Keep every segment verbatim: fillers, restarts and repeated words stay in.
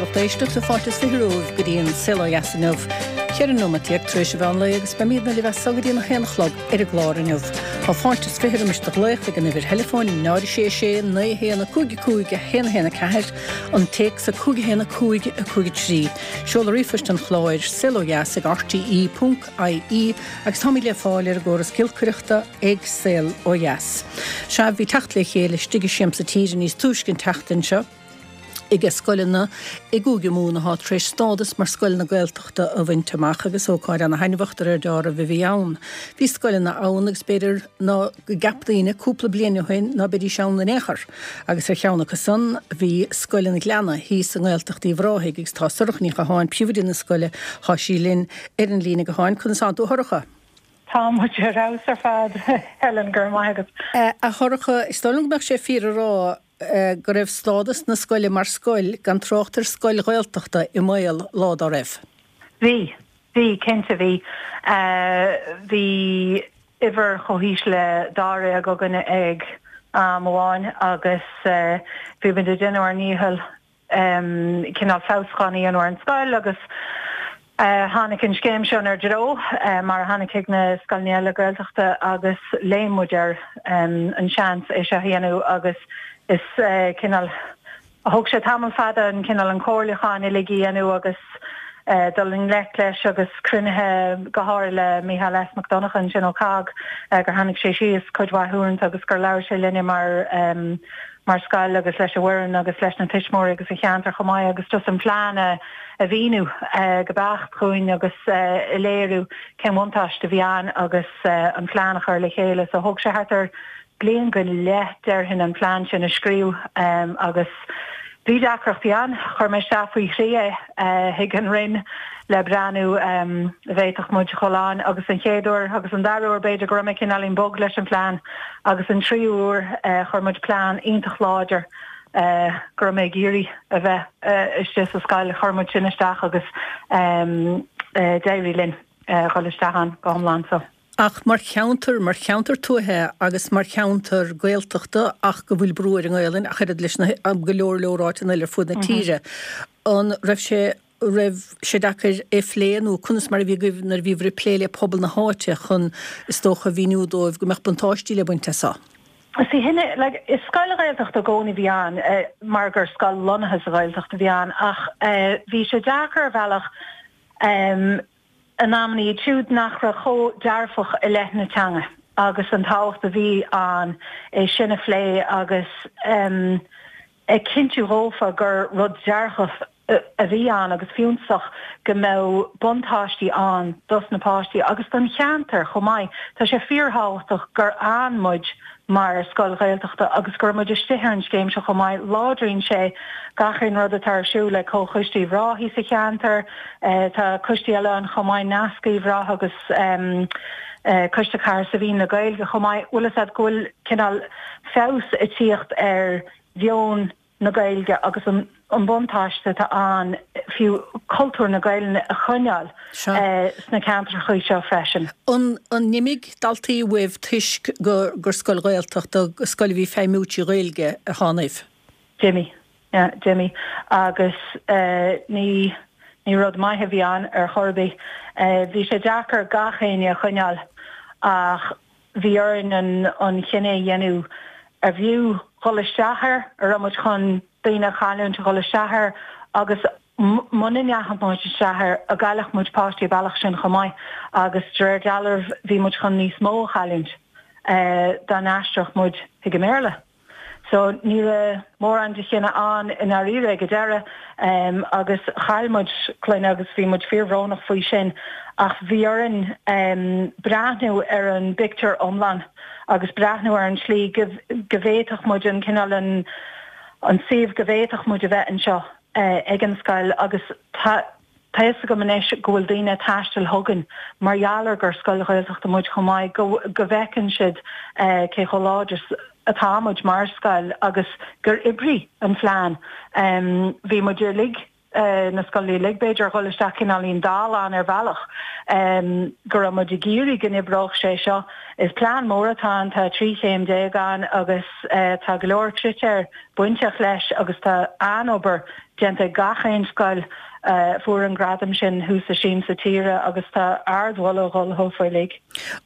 lucht éisteachta fáilte is fiche romhaibh go dtí an Saol Ó Dheas inniu. Ceithre nóiméad déag tar éis an mheán lae agus beimidne libh as seo go dtí an haon a chlog ar an gclár inniu. Tá fáilte is fiche roimis do ghlaoch ag an uimhir theileafóin náid sé sé naoi haon a cúig cúig a haon haon a ceathair an téacs a cúig haon a cúig a cúig trí. Seoladh ríomhphoist an chláir saol ó dheas ag RTE ponc IE agus táimid le fáil ar an gcóras giolcaireachta ag Saol Ó Dheas. Sea bhí teacht le chéile istigh i Siamsa Tíre níos túisce an tseachtain seo. ag scoileanna i gCúige Mumhan atá tar éis stádas mar scoileanna Gaeltachta a bhaint amach agus ócáid ana-thaitneamhach de réir dealraimh a bhí ann. Bhí scoileanna ann agus b'fhéidir ná go gceap daoine cúpla bliain ó shin ná beidís ann in aon chor. Agus ar cheann acu san bhí Scoil an Ghleanna thíos i nGaeltacht Uíbh Ráthaigh agus tá Sorcha Ní Chatháin príomhoide na scoile tá sí linn ar an líne gutháin conas atá tú a Shorcha. Tá muid ar fheabhas ar fad Helen go raibh maith agat. A Shorcha is dóigh liom go mbeadh sé fíor a rá go raibh stádas na scoile mar scoil gan trácht ar scoil Ghaeltachta i mbaol lá dá raibh. Bhí bhí cinnte bhí bhí uimhir chomh híseal le dáréag againne ag am amháin agus bhí muid ag déanamh ár ndícheall cineál feabhsúcháin a dhéanamh ar an scoil agus tháinig an scéim seo inár dtreo mar a tháinig chuig na scoileanna eile Gaeltachta agus léim muid ar an seans é seo a dhéanamh agus is cineál thóg sé tamall fada an cineál an comhairliúchán uilig a dhéanamh agus dul i ngleic leis agus cruinnithe go háirithe le Micheál S. Mac Donncha ansin ó COGG gur tháinig sé síos cuid mhaith uaireanta agus gur labhair sé linne mar um, mar scoil agus leis an bhfoireann agus leis na tuismitheoirí agus an cheantar chomh maith agus just an plean a a mhíniú uh, go beacht dúinn agus uh, léiriú cén bhuntáiste a bhí ann agus uh, an plean a chur le chéile so thóg sé thart ar bliain go leith déarfainn an plean sin a scríobh um, agus bhí deacrachtaí ann chuir mé isteach faoi thrí chuig an Roinn le breathnú um, bhféadfadh muid dul ann agus an chéad uair agus an dara huair b'fhéidir go raibh mé cineáilín bog leis an plean agus an tríú huair uh, chuir muid plean iontach láidir uh, go raibh mé ag iarraidh a bheith uh, istigh sa scoil chuir muid sin isteach agus um, uh, d'éirigh linn uh, dhul isteach ann go hiomlán so. Ach mar cheantar mar cheantar tuaithe agus mar cheantar Gaeltachta ach go bhfuil brú ar an nGaelainn ach oiread leis na go leor leor áiteanna eile ar fud na tíre. An raibh sé raibh sé deacair é phlé nó conas mar a bhí agaibh nuair a bhí ag plé le pobal na háite chun is dócha mhíniú dóibh go mbeadh buntáistí le baint as seo. Sí hinne like, is scoil Ghaeltachta i gcónaí a bhí ann uh, mar gur scoil lonnaithe sa Ghaeltacht a bhí ann ach uh, bhí sé deacair ar bhealach um, in amanna iad siúd nach raibh chomh dearfach i leith na teanga agus an tábhacht a bhí ann é sin a phlé agus um, ag cinntiú dófa gur rud dearfach a bhí ann agus fiúntach go mbeadh buntáistí ann dos na páistí agus don cheantar chomh maith. Tá sé fíorthábhachtach gur fhan muid mar scoil Ghaeltachta agus gur muid istigh ar an scéim seo chomh maith láidríonn sé gach aon rud atá ar siúl le Comhchoiste Uíbh Ráthaigh sa cheantar, eh, tá coistí eile ann chomh maith Nasc Uíbh Ráthaigh agus um, uh, Coiste Chathair Saibhín le Gaeilge chomh maith bhfuil a go bhfuil cineál feabhas ag tíocht ar mheon na Gaeilge agus an an buntáiste atá ann fiú cultúr na Gaeilge a choinneáil eh, sna ceantracha seo freisin. An an n-imigh daltaí uaibh toisc gur gur scoil Ghaeltachta scoil a bhí feidhmiú trí Ghaeilge a tháinig? D'imigh yeah, d'imigh agus uh, ní ní rud maith a bhí ann ar chor ar bith. Uh, bhí sé deacair gach éinne a choinneáil ach bhí orainn an an cinneadh a dhéanamh ar bhfiú dhul isteach air ar raibh muid chun daoine a chailliúint a dhul isteach air agus muna ndeachaigh muid isteach air a gcaillfeadh muid páistí bealach sin chomh maith agus de réir dealraimh bhí muid chun níos mó a chailliúint uh, dá n-aistreodh muid chuig an mBéarla. So ní raibh mórán de chinneadh ann i ndáiríre ag an deireadh um, agus chaill muid clainne agus bhí muid fíorbhrónach faoi sin ach bhí orainn um, breathnú ar an bpictiúr iomlán agus breathnú ar an slí go go bhféadfadh muid an cineál an an suíomh go bhféadfadh muid a bheith anseo uh, ag an scoil agus tá Tá a fhios agam anois go bhfuil daoine ag taisteal chugainn mar gheall ar gur scoil Ghaeltachta muid chomh maith go go bhfeiceann siad uh, cé chomh láidir atá muid mar scoil agus gur oibrigh an plean. Um, bhí muid uilig na scoileanna uilig b'fhéidir dhul isteach cineáilín dall ann ar bhealach go raibh muid ag iarraidh go n-oibreodh sé seo. Is plean mór atá ann, tá trí chéim déag ann agus tá go leor critéir bainteach leis agus tá an-obair déanta ag gach aon scoil a fuair an gradam sin thuas i Siamsa Tíre agus tá ardmholadh ag dhul dhófa uilig.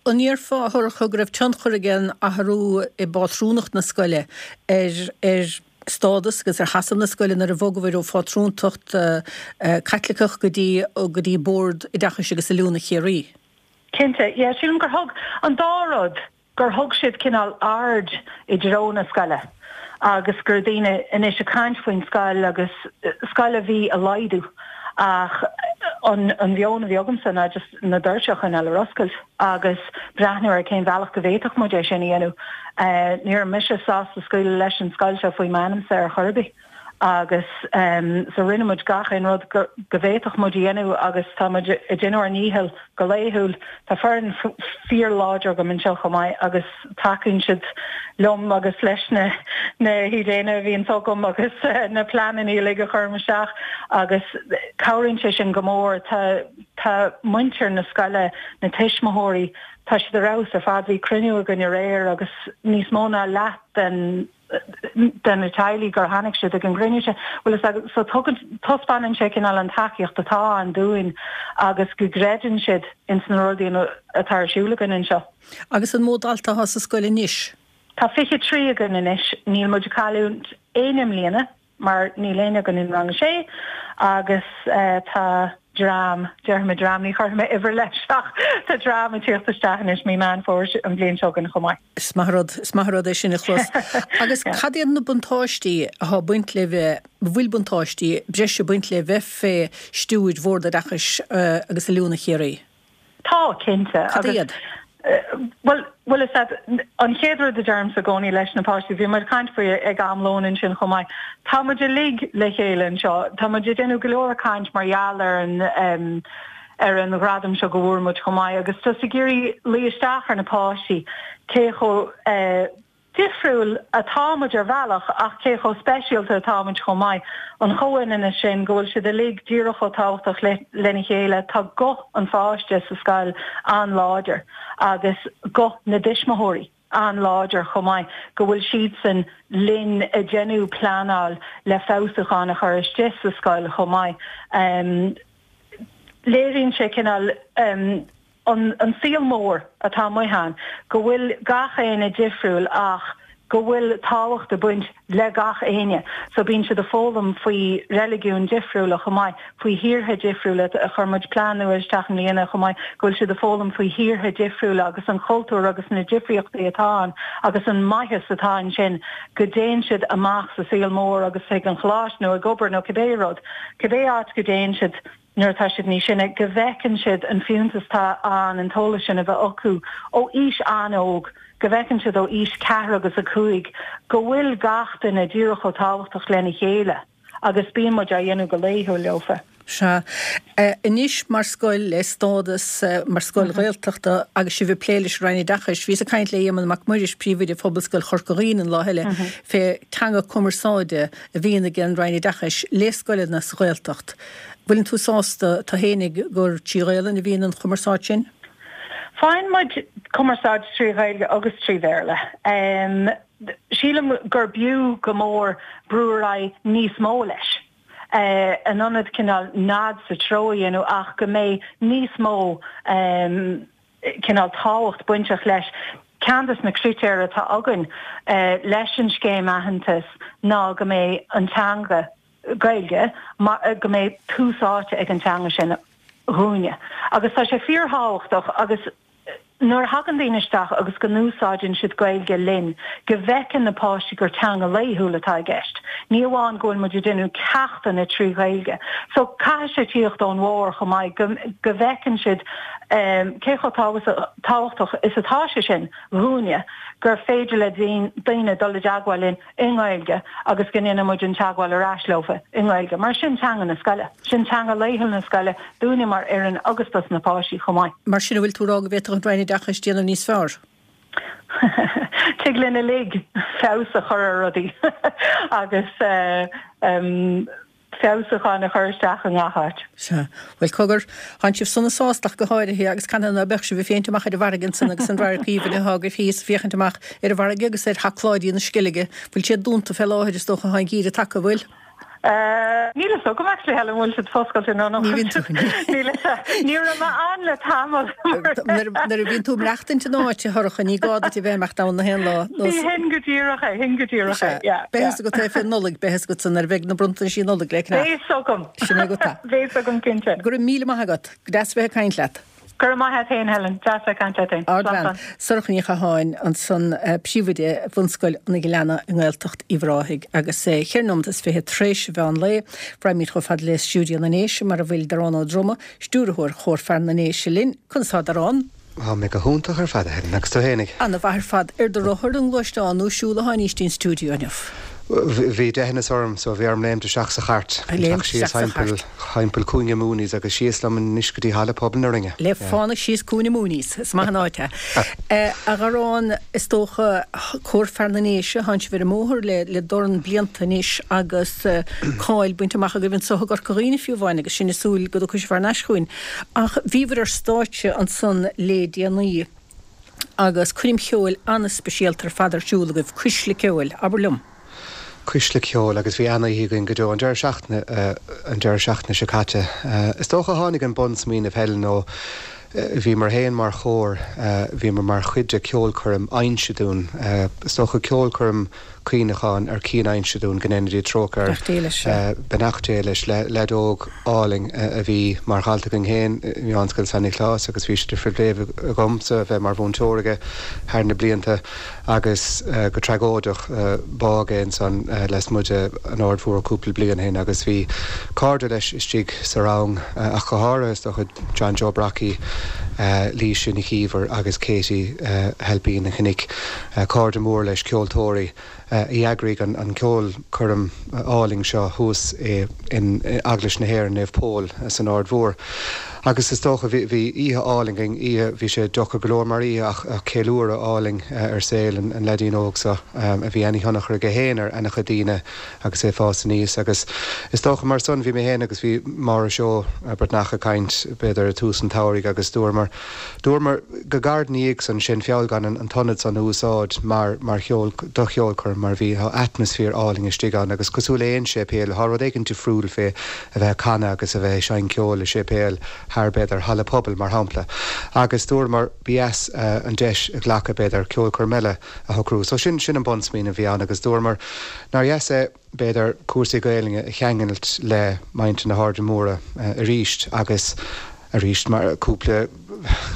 An ndéarfá, a Shorcha, go raibh tionchar ag an athrú i bpátrúnacht na scoile ar ar stádas agus ar sheasamh na scoile nuair a bhogabhair ó phátrúntacht Caitliceach go dtí go dtí Bord Oideachais agus Oiliúna Chiarraí? Cinnte, yeah, sílim gur thug an dá rud, gur thug siad cineál aird i dtreo na scoile agus go raibh daoine anois ag caint faoin scoil agus scoil a bhí ag laghdú ach an an mheon a bhí agamsa ná just na doirse a choinneáil ar oscailt agus breathnú ar cén bhealach go bhféadfadh muid é sin a dhéanamh. Ní raibh mise sásta scaoileadh leis an scoil seo faoi m'ainmse ar chor ar bith agus so rinne muid gach aon rud go bhféadfadh muid a dhéanamh agus tá muid ag déanamh ár ndícheall go laethúil. Tá foireann fíorláidir agam anseo chomh maith agus tacaíonn siad liom agus leis na na hidéanna a bhíonns agam agus na pleananna uilig a chuirim isteach agus cabhraíonn sé sin go mór. Tá tá muintir na scoile, na tuismitheoirí, tá siad ar fheabhas ar fad. Bhí cruinniú againn aréir agus níos mó ná leath den de na teaghlaigh gur tháinig siad ag an gcruinniú sin. Bhuel is ea, so tugann, taispeánann sé cineál an tacaíocht atá ann dúinn agus go gcreideann siad ins na rudaí atá ar siúl againn anseo. Agus an mó dalta atá sa scoil anois? Tá fiche trí againn anois. Níl muid ag cailliúint éinne i mbliana mar níl éinne againn in rang a sé agus tá dream, déarfaidh mé dream, ní chuirfidh mé uimhir leis ach tá dream ag tíocht isteach anois mí Meán Fómhair an bhliain seo chugainn chomh maith. Is maith rud, is maith rud é sin a chlos. Agus cad iad na buntáistí atá ag baint le bheith, bhfuil buntáistí breise ag baint le bheith fé stiúir Bhord Oideachais agus Oiliúna Chiarraí? Tá, cinnte. Cad iad? Bhuel, bhuel is ea, an chéad rud a deirimse i gcónaí leis na páistí, bhí muid ag caint faoi ag am lóin ansin chomh maith, tá muid uilig le chéile anseo, tá muid ag déanamh go leor caint mar gheall ar an ar an ghradam seo go bhfuair muid chomh maith agus just ag iarraidh luí isteach ar na páistí cé chomh difriúil atá muid ar bhealach ach cé chomh speisialta atá muid chomh maith. An chomhionannas sin, go bhfuil siad uilig díreach chomh tábhachtach lena chéile. Tá guth an pháiste sa scoil an-láidir agus guth na dtuismitheoirí an-láidir chomh maith, go bhfuil siadsan linn ag déanamh pleanáil le feabhsúcháin a chur istigh sa scoil chomh maith. Léiríonn sé cineál. an saol mór atá amuigh ann, go bhfuil gach éinne difriúil ach go bhfuil tábhacht ag baint le gach éinne. So bíonn siad ag foghlaim faoi reiligiúin difriúla chomh maith, faoi thíortha difriúla, chuir muid plean nua isteach i mbliana chomh maith, go bhfuil siad ag foghlaim faoi thíortha difriúla agus an cultúr agus na difríochtaí atá ann agus an maitheas atá ansin go dtéann siad amach sa saol mór agus chuig an choláiste nó ag obair nó cibé rud, cibé áit go dtéann siad. nuair atá siad níos sine, go bhfeiceann siad an fiúntas atá ann an t-eolas sin a bheith acu ó aois an-óg, go bhfeiceann siad ó aois ceathair agus a cúig go bhfuil gach duine díreach chomh tábhachtach lena chéile agus bíonn muid á dhéanamh go laethúil leofa. Sea. Anois mar scoil le stádas mar scoil Ghaeltachta agus sibh ag plé leis an Roinn Oideachais, bhíos ag caint le Éamonn Mac Muiris, Príomhoide Phobalscoil Chorca Dhuibhne an lá eile, fé teanga cumarsáide a bhíonn ag an Roinn Oideachais le scoileanna sa Ghaeltacht. Bhfuileann tú sásta tú fhéinig gur trí Ghaelainn a bhíonn an chumarsáid sin? Faigheann muid cumarsáid trí Ghaeilge agus trí Bhéarla. Sílim gur b'fhiú go mór brú ar aghaidh níos mó leis, in ionad cineál nod sa treo a dhéanamh ach go mbeidh níos mó cineál tábhacht bainteach leis. Ceann des na critéir atá againn leis an scéim aitheantais ná go mbeidh an teanga, Gaeilge, go mbeidh tús áite ag an teanga sin dhúinne. Agus tá sé fíorthábhachtach agus nuair a thagann daoine isteach agus go n-úsáideann siad Gaeilge linn, go bhfeiceann na páistí gur teanga laethúil atá i gceist. Ní amháin go bhfuil muid ag déanamh ceachtanna trí Ghaeilge. So caithfidh sé tíocht ón bharr chomh maith, go go bhfeiceann siad cé chomh tábhachtach is atá sé sin dhúinne, gur féidir le daoine dul i dteagmháil linn i nGaeilge agus go ndéanann muid an teagmháil ar ais leofa i nGaeilge mar sin teanga na scoile, sin teanga laethúil na scoile dúinne mar fhoireann agus dos na páistí chomh maith. Mar sin, an bhfuil tú ag rá go bhféadfadh an Roinn Oideachais déanamh níos fearr? Tig linn uilig feabhas a chur ar rudaí agus feabhsúcháin a chur isteach i ngach áit. Sea. Bhuel, cogar, thánn sibh sona sásta ach go háirithe agus canathaobh ná beadh sibh ag féachaint amach ar an bhfarraige ansan agus an radharc aoibhinn atá agaibh thíos, féachaint amach ar an bhfarraige agus ar Theach Pháidí na Sceilge. Bhfuil siad dúnta fé láthair is dócha, tá an geimhreadh tagtha, bhfuil? Níl a fhios agam actually Helen an bhfuil siad foscailte nó nach Ní bhíonn tú. Níl a fhios. Ní raibh mé ann le tamall. Nuair a bhíonn tú ag maireachtaint in áit, a Shorcha, ní gá duit a bheith ag imeacht ann na haon lá. Ní hin go díreach é, hin go díreach é, yeah. Beidh a fhios agat é fé Nollaig, beidh a fhios agat san nuair a bheidh na bronntaisí Nollag le ceannach. Beidh a fhios agam. Sin é agat é. Beidh a fhios agam cinnte. Go raibh míle maith agat. Go deas bheith ag caint leat. Go raibh maith agat féin Helen, deas bheith ag caint leat féin. Ardbhean. Sorcha Ní Chatháin ansan, príomhoide Bhunscoil an Ghleanna i nGaeltacht Uíbh Ráthaigh agus é ceithre nóiméad is fiche tar éis mheán lae. Raghaimid chomh fada le stiúideo na nDéise mar a bhfuil Darán Ó Droma, stiúrthóir Chór Fear na nDéise linn. Conas tá Darán? Tá mé go hiontach ar fad, a Helen, agus tú fhéinig? Ana mhaith ar fad. Ar do rothar, an ngluaisteán nó ag siúl a tháinís dtí'n stiúideo inniu? Bhí deitheanas orm so bhí orm léimt isteach sa chairt, Léimt isteach síos isteach sa thimpeall chairt. thimpeall Cúinne Mooney's agus síos liom anois go dtí Halla Pobail na Rinne. Le fánaidh síos Cúinne Mooney's, is maith an áit é. A Dharáin, is dócha, Cór Fear na nDéise, thánn sibh ar an mbóthar le le dorn blianta anois agus cáil bainte amach agaibh anseo i gCorca Dhuibhne fiú amháin agus sinn ag súil go dtiocfaidh sibh thar n-ais chugainn. Ach bhíobhair ar stáitse ansan le déanaí agus coirm cheoil an-speisialta ar fad ar siúl agaibh, Cuisle Ceoil, abair liom. Cuisle Ceoil agus bhí an-oíche againn go deo an deireadh seachtaine an deireadh seachtaine seo caite. Is dócha tháinig an bunsmaoineamh Helen ó bhíomar féin mar chór, bhíomar mar chuid de ceolchoirm Einsieduin. Is dócha ceolchoirm cuimhneacháin ar Cian Einsieduin go ndéana Dia trócaire Beannacht Dé leis. Beannacht Dé leis, leaid óg álainn a bhí mar dhalta againn féin i Meánscoil San Nioclás agus bhí sé de phribhléid agamsa a bheith mar mhúinteoir aige thar na blianta agus go tragóideach bádh é ansan lasmuigh de an Aird Mhór cúpla bliain ó shin agus bhí cairde leis istigh sa rang ach go háirithe is dócha John Joe Brockie, Laoise Nic Íomhair agus Katie Heilpín an Chnoic, cairde mór leis, ceoltóirí. a d'eagraigh an ceolchoirm álainn seo thuas in Eaglais na hÉireann, Naomh Pól san Aird Mhór. Agus is dócha, bhí oíche álainn againn, oíche, bhí sé deacair go leor mar oíche ach ceiliúradh álainn ar saol an leaidín óg seo a bhí ana-thionchar aige féin ar ana-chuid daoine agus é ag fás aníos. Agus is dócha mar san, bhí mé féin agus bhí Máire Seó Breatnach ag caint b'fhéidir i tús an tsamhraidh agus dúramar, dúramar go gairid ina dhiaidh san, sé'n feall gan an t-ionad san a úsáid mar, mar cheol, do cheolchoirm mar bhí, tá atmaisféar álainn istigh ann agus cosúil le aon séipéal, tá rud éigin difriúil fé a bheith ag canadh agus a bheith ag seinm ceoil i séipéal thar b'fhéidir halla pobail mar shampla. Agus dúramar ba dheas an deis a ghlacadh b'fhéidir ceolchoirm eile a shocrú. So sin, sin an bunsmaoineamh a bhí ann agus dúramar nár dheas é b'fhéidir cúrsaí Gaelainne a cheangailt le muintir na hAirde Móire arís agus arís mar cúpla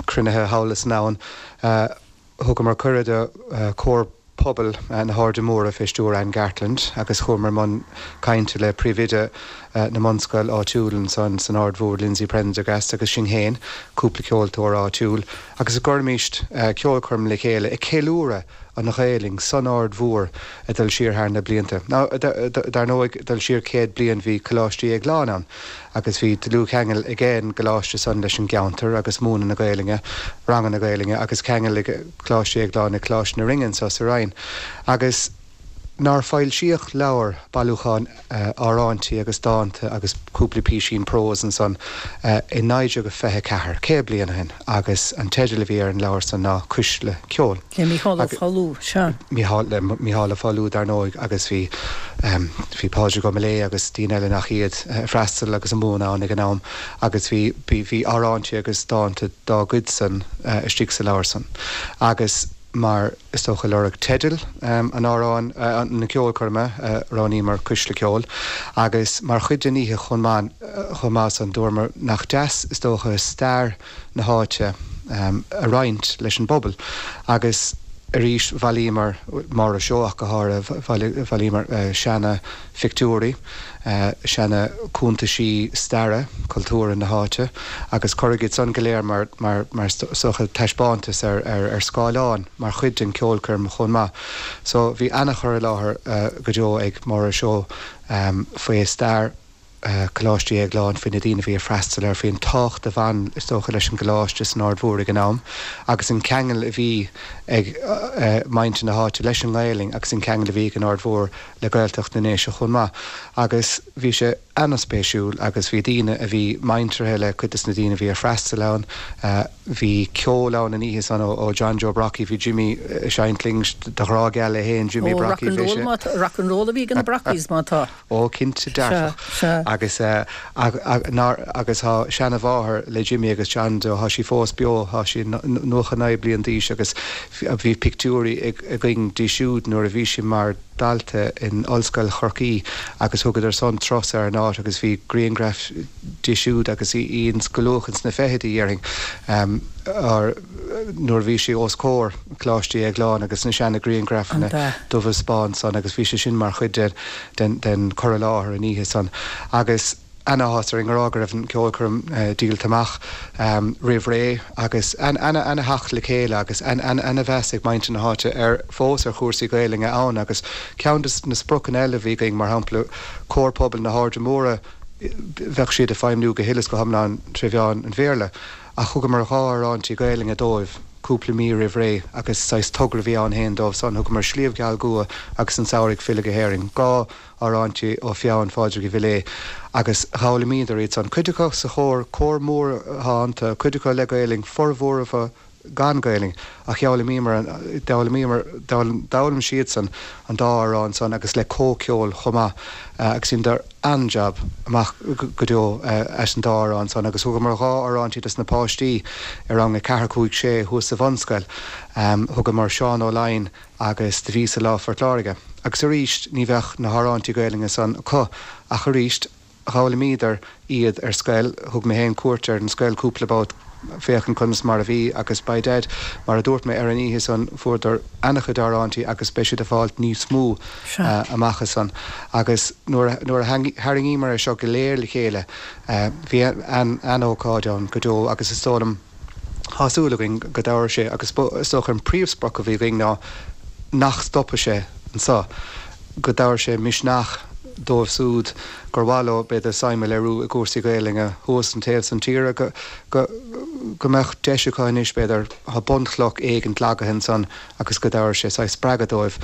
cruinnithe thall is anonn thugamar cuireadh do Chór Pobail na hAirde Móire fé stiúir Ann Gartland agus chuamar i mbun cainte le príomhoide na mbunscoil áitiúil ansan san Aird Mhór, Lindsay Prendergast agus sinn féin, cúpla ceoltóir áitiúil agus go gcuirfimíst ceolchoirm le chéile ag ceiliúradh an Ghaelainn san Aird Mhór ag dul siar thar na blianta. Now, dar ndóigh, dul siar céad bliain bhí Coláiste Dhéagláin ann agus bhí dlúthcheangal ag an gcoláiste san leis an gceantar agus múineadh na Gaelainne, ranganna Gaelainne agus ceangal ag Coláiste Dhéagláin le Coláiste na Rinne anso sa Rinn. Agus nár foilsíodh leabhar, bailiúchán amhráintí agus dánta agus cúpla písín próis ansan i naoi déag fiche a ceathair, céad bliain ó shin, agus an teideal a bhí ar an leabhar san ná Cuisle Ceoil. Le Mícheál Ó Foghlú, sea. Mícheál, le Mícheál Ó Foghlú, dar ndóigh, agus bhí, bhí Pádraig Ó Maolaodha agus daoine eile nach iad ag freastal agus ag múineadh ann ag an am agus bhí, bhí, bhí amhráintí agus dánta dá gcuid-san istigh sa leabhar san. Agus. Mar is dócha lorg teideal an amhráin, na ceolchoirme, roghnaíomar Cuisle Ceoil agus mar chuid den oíche chomh maith, chomh maith san, dúramar nach deas is dócha stair na háite a roinnt leis an bpobal agus arís bhailíomar, Máire Seó ach go háirithe, bhailíomar seana phictiúirí, seana cuntaisí staire, cultúrtha na háite agus cuireadh iad san go léir mar mar mar is dócha taispeántas ar ar ar scáileán mar chuid den ceolchoirm chomh maith. So bhí ana-chur i láthair go deo ag Máire Seó faoi stair Coláiste Dhéagláin, faoi na daoine a bhí ag freastal air, faoin tábhacht a bhain is dócha leis an gcoláiste san Aird Mhór ag an am agus an ceangal a bhí ag muintir na háite leis an nGaelainn agus an ceangal a bhí ag an Aird Mhór le Gaeltacht na nDéise chomh maith agus bhí sé an-spéisiúil agus bhí daoine a bhí muinteartha le cuid des na daoine a bhí ag freastal ann. Bhí ceol ann an oíche san ó John Joe Brockie, bhí Jimmy ag seinnt linn do ghrá geal é féin, Jimmy Brockie, bhí sé. Ó, rock and roll a bhí ag na Brockies má tá. Ó, cinnte dearfach. Agus agus tá seanamháthair le Jimmy agus John Joe, tá sí fós beo, tá sí nócha naoi bliain d'aois agus bhí pictiúirí againn di siúd nuair a bhí sí mar dalta in Ollscoil Chorcaí agus thugadar san turas ar an áit agus bhí grianghraif di siúd agus í ins go luath ins na fichidí déarfainn nuair a bhí sí os comhair Coláiste Dhéagláin agus na seana grianghrafanna dubha is bán san agus bhí sé sin mar chuid den den cur i láthair an oíche san agus Ana-áthas orainn a rá go raibh an ceolchoirm díolta amach roimh ré agus ana-theacht le chéile agus ana-mheas ag muintir na háite ar fós ar chúrsaí Gaelainne ann agus ceann de na spriocanna eile a bhí againn mar shampla Comhar Pobail na hAirde Móire bheadh siad ag feidhmniú go huile is go hiomlán tré mheán an Bhéarla ach thugamar dhá amhráintí Gaelainne dóibh cúpla mí roimh ré agus saghas togra a bhí ann féin dóibh san thugamar Sliabh Geal Gua agus An Samhradh ag Filleadh go hÉirinn dhá amhráintí ó pheann Phádraig Uí Mhiléadh agus d'fhoghlaimíodar iad san. Cuid acu sa chór, cór mór atá iontu, cuid acu le Gaelainn, formhór acu gan Gaelainn, ach d'fhoghlaimíomar, d'fhoghlaimíomar, d'fhoghlaim siadsan an dá amhrán san agus le comhcheol chomh maith agus dheineadar an-jab amach go deo as an dá amhrán san agus thugamar dhá amhráintí dos na páistí i rang a ceathair, cúig, sé thuas sa bhunscoil. Thugamar Seán Ó Laighin agus Do Bhíos-sa Lá Phort Láirge. Agus arís, ní bheadh na hamhráintí Gaelainne san acu ach arís, d'fhoghlaimíodar iad ar scoil. Thug mé féin cuairt ar an scoil cúpla babht féachaint conas mar a bhí agus by dad, mar a dúirt mé, ar an oíche san fuaireadar an-chuid amhráintí agus beidh siad ag fáilt níos mó amach as san. Agus nuair a tharraingíomar é seo go léir le chéile, bhí an-ócáid ann go deo agus is dóigh liom, Tá súil againn go dtabharfaidh sé, agus is dócha an príomhsprioc a bhí againn ná nach stopfaidh sé anseo, go dtabharfaidh sé misneach dóibh siúd gur mhaith leo, b'fhéidir, suim a léiriú i gcúrsaí Gaelainne thuas an taobh san tíre, go, go, go mbeadh deis acu anois, b'fhéidir, tá bunchloch éigin leagtha ansan agus go dtabharfaidh sé saghas spreagadh dóibh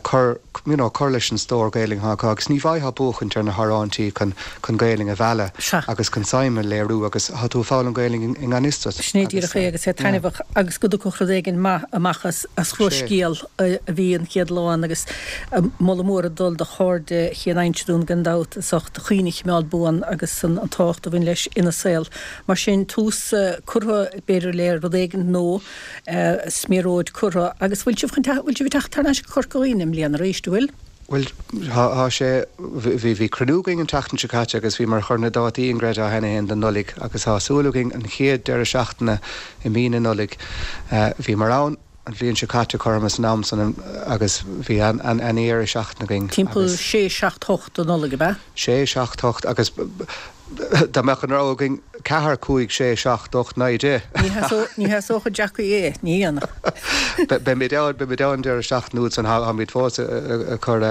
cur, you know, cur leis an stór Gaelainne atá acu agus ní bhfaightheá buachaint ar na hamhráintí chun, chun Gaelainn a mhealladh Sea. agus chun suim a léiriú agus tá tú ag foghlaim Gaelainn i ngan fhios duit Sin é agus díreach é agus é yeah. taitneamhach agus go dtiocfadh rud éigin maith amach as, as Sé. chroscéal a bhí an chéad lá ann agus moladh mór ag dul do chairde Chian Indreabhán gan dabht as ucht cuimhne a choimeád buan agus an, an tábhacht a bhain leis ina saol. Mar sin tús curtha b'fhéidir le rud éigin nó sméaróid curtha agus bhfuil sibh chun bhfuil sibh ag teacht thar n-ais go Corca Dhuibhne i mbliana arís, an bhfuil? Bhuel, tá sé, bhí, bhí cruinniú againn an tseachtain seo caite agus bhíomar ag cur na dátaí an gcreidfeá cheana féin don Nollaig agus tá súil againn an chéad deireadh seachtaine i mí na Nollag. Bhíomar ann an bhliain seo caite cothrom san am san agus bhí an-dheireadh seachtaine againn Timpeall agus. sé, seacht, hocht de Nollaig, ab ea? Sé, seacht, hocht agus dá mbeadh an rogha againn ceathair, cúig, sé, seacht, ocht, naoi, deich. Ní sheasódh Jackie é, ní dhéanfadh. Beimid ann, beimid ann deireadh seachtaine úd san, táimid fós ag cur,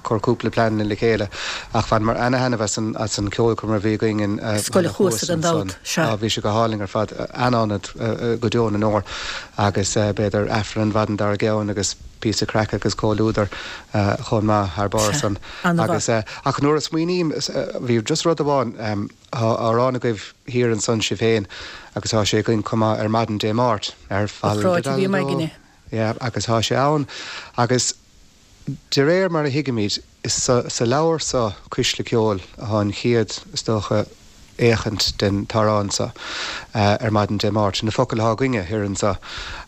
cur cúpla pleananna le chéile ach bhaineamar ana-thaitneamh as an, as an ceolchoirm a bhí againn in Scoil Halla Chuasa Chuasa gan ansan. dabht, sea. Á, bhí sé go hálainn ar fad, an-ionad go deo na ndeor agus b'fhéidir Aifreann an mhaidin dár gcionn agus píosa craic agus comhluadar chomh maith thar barr Sea, san. an-mhaith. Agus, ach nuair a smaoiním, bhí just rud amháin, tá amhrán agaibh thiar ansan sibh féin agus tá sé againn chomh maith ar maidin Dé Máirt, ar Ba chráite a bhí fal-da-dal-dó. againne. Yeah, agus tá sé ann agus de réir mar a thuigimid, is sa leabhar so, Cuisle Ceoil, atá an chéad, is dócha, fhéachaint den t-amhrán so ar maidin Dé Máirt. Na focail atá againne thiar anso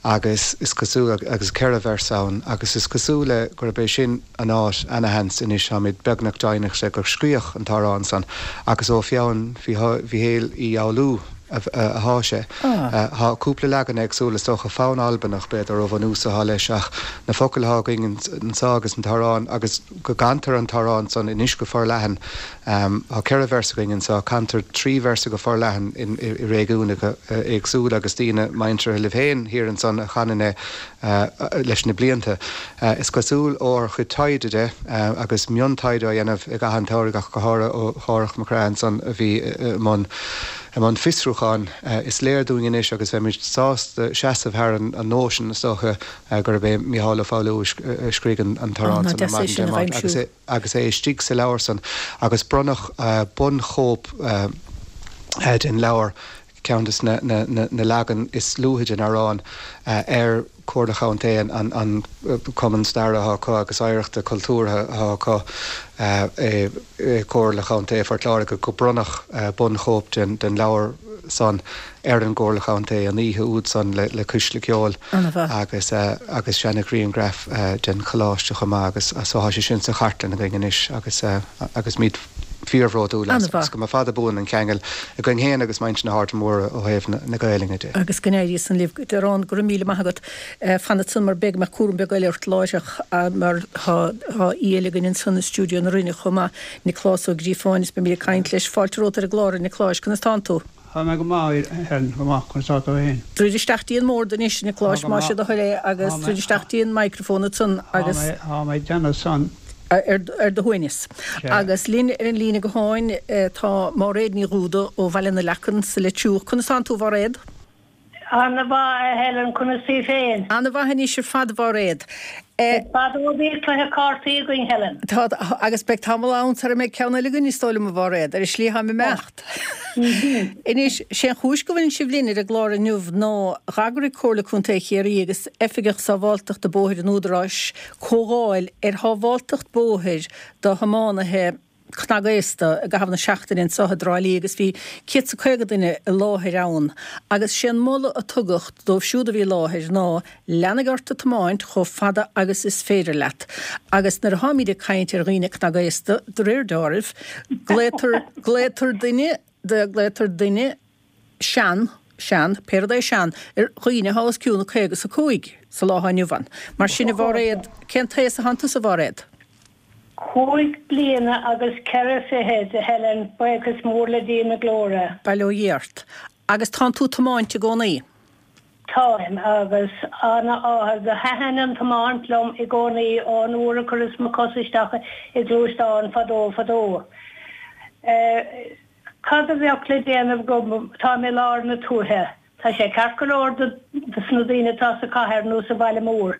agus is cosúil, agus ceithre véarsa ann, agus is cosúil le gurb é sin an áit, ana-sheans anois, táimid beagnach deimhneach de gur scríodh an t-amhrán san agus ó pheann Mhíchéil Uí Fhoghlú athá sé. Tá cúpla leagan éagsúil, is dócha fonn Albanach b'fhéidir ó bhunús athá leis ach na focail athá againn anso agus an t-amhrán agus go gcantar an t-amhrán san anois go forleathan. Tá ceithre véarsa againn anso, cantar trí véarsa go forleathan i réigiúnacha éagsúla agus daoine muinteartha libh féin thiar ansan a chanann é leis na blianta. Is cosúil ó ár chuid taighde de, agus miontaighde á dhéanamh i gcaitheamh an tsamhraidh ach go háirithe ó Dhárach Mac Craith ansan a bhí i mbun i mbun fiosrúcháin, is léir dúinn anois agus bheimid sásta seasamh thar an nóisean, is dócha, gurb é Mícheál Ó Foghlú a scrígh an t-amhrán san, Ar Maidin Dé Máirt, agus é istigh sa leabhar san agus bronnadh bunchóip den leabhar, ceann des na na leagan is luaithe den amhrán, ar Chomhairle Chontae an an Cumann Staire atá acu agus Oidhreachta Cultúrtha atá acu i Comhairle Chontae Phort Láirge go bronnadh bunchóip den den leabhar san ar an gComhairle Chontae an oíche úd san le le Cuisle Ceoil agus agus seana-ghrianghraf den choláiste chomh maith agus so tá sé sin sa chartlann againn anois agus agus muid fíorbhródúil as agus go mba fada buan an ceangal againn féin agus muintir na hAirde Móire ó thaobh na Gaelainne de. Agus go n-éirí san libh. Darán, go raibh míle maith agat. Fan ansan mar beidh mé cúram beag eile ort láithreach mar tá aoi eile againn ansan i stiúideo na Rinne chomh maith, Nioclás Ó Gríofáin, is beimid ag caint leis. Fáilte romhat ar an gclár, a Niocláis. Conas tánn tú? Tá mé go maith, a Helen, go maith, conas tá tú féin? Druid isteach dtí an mbord anois, a Niocláis, más é do thoil é, agus druid isteach dtí an microphone ansan agus. Tá mé ag déanamh san. Ar do shuaimhneas. Agus linn ar an líne gutháin tá Máiréad Ní Dhúda ó Bhaile na Leacan sa Leitriúch. Conas tánn tú, a Mháiréad? Ana-mhaith, a Helen, conas í féin? Ana-mhaith anois ar fad, a Mháiréad. Is fada ó bhí cluiche cártaí againn, Helen. Tá, agus beidh tamall ann sara mbeidh ceann eile againn, is dóigh liom, a Mháiréad. Ar an slí atáim ag imeacht. Anois, sé an chúis go bhfuileann sibh linn ar an gclár inniu ná d'eagraigh Comhairle Contae Chiarraí agus Oifigeach Sábháilteachta Bóthair an Údaráis comhdháil ar shábháilteacht bóthair do thiománaithe cnagaosta i gcaitheamh na seachtaine anseo i dTrá Lí agus bhí céad 's a caoga duine i láthair ann agus sé an moladh a tugadh dóibh siúd a bhí i láthair ná leanaigh ort ag tiomáint chomh fada agus is féidir leat agus nuair atháimid ag caint ar dhaoine cnagaosta de réir deáraimh glaotar glaotar duine de glaotar duine sean sean pé rud é sean ar dhaoine atá os cionn caoga 's a cúig sa lá atá inniu ann. Mar sin a Mháiréad cén t-aos atánn tusa a Mháiréad? Cúig bliana agus ceithre fichid, a Helen, buíochas mór le Dia na glóire. Bail ó Dhia ort. Agus tánn tú ag tiomáint i gcónaí? Táim, agus ana-áthas. Do thaitin an tiomáint liom i gcónaí ón uair a chuireas mo chos isteach i ngluaisteán fadó fadó. Cad a bheadh le déanamh agam, táim i lár na tuaithe. Tá sé ceart go leor do na daoine atá sa chathair nó sa bhaile mór.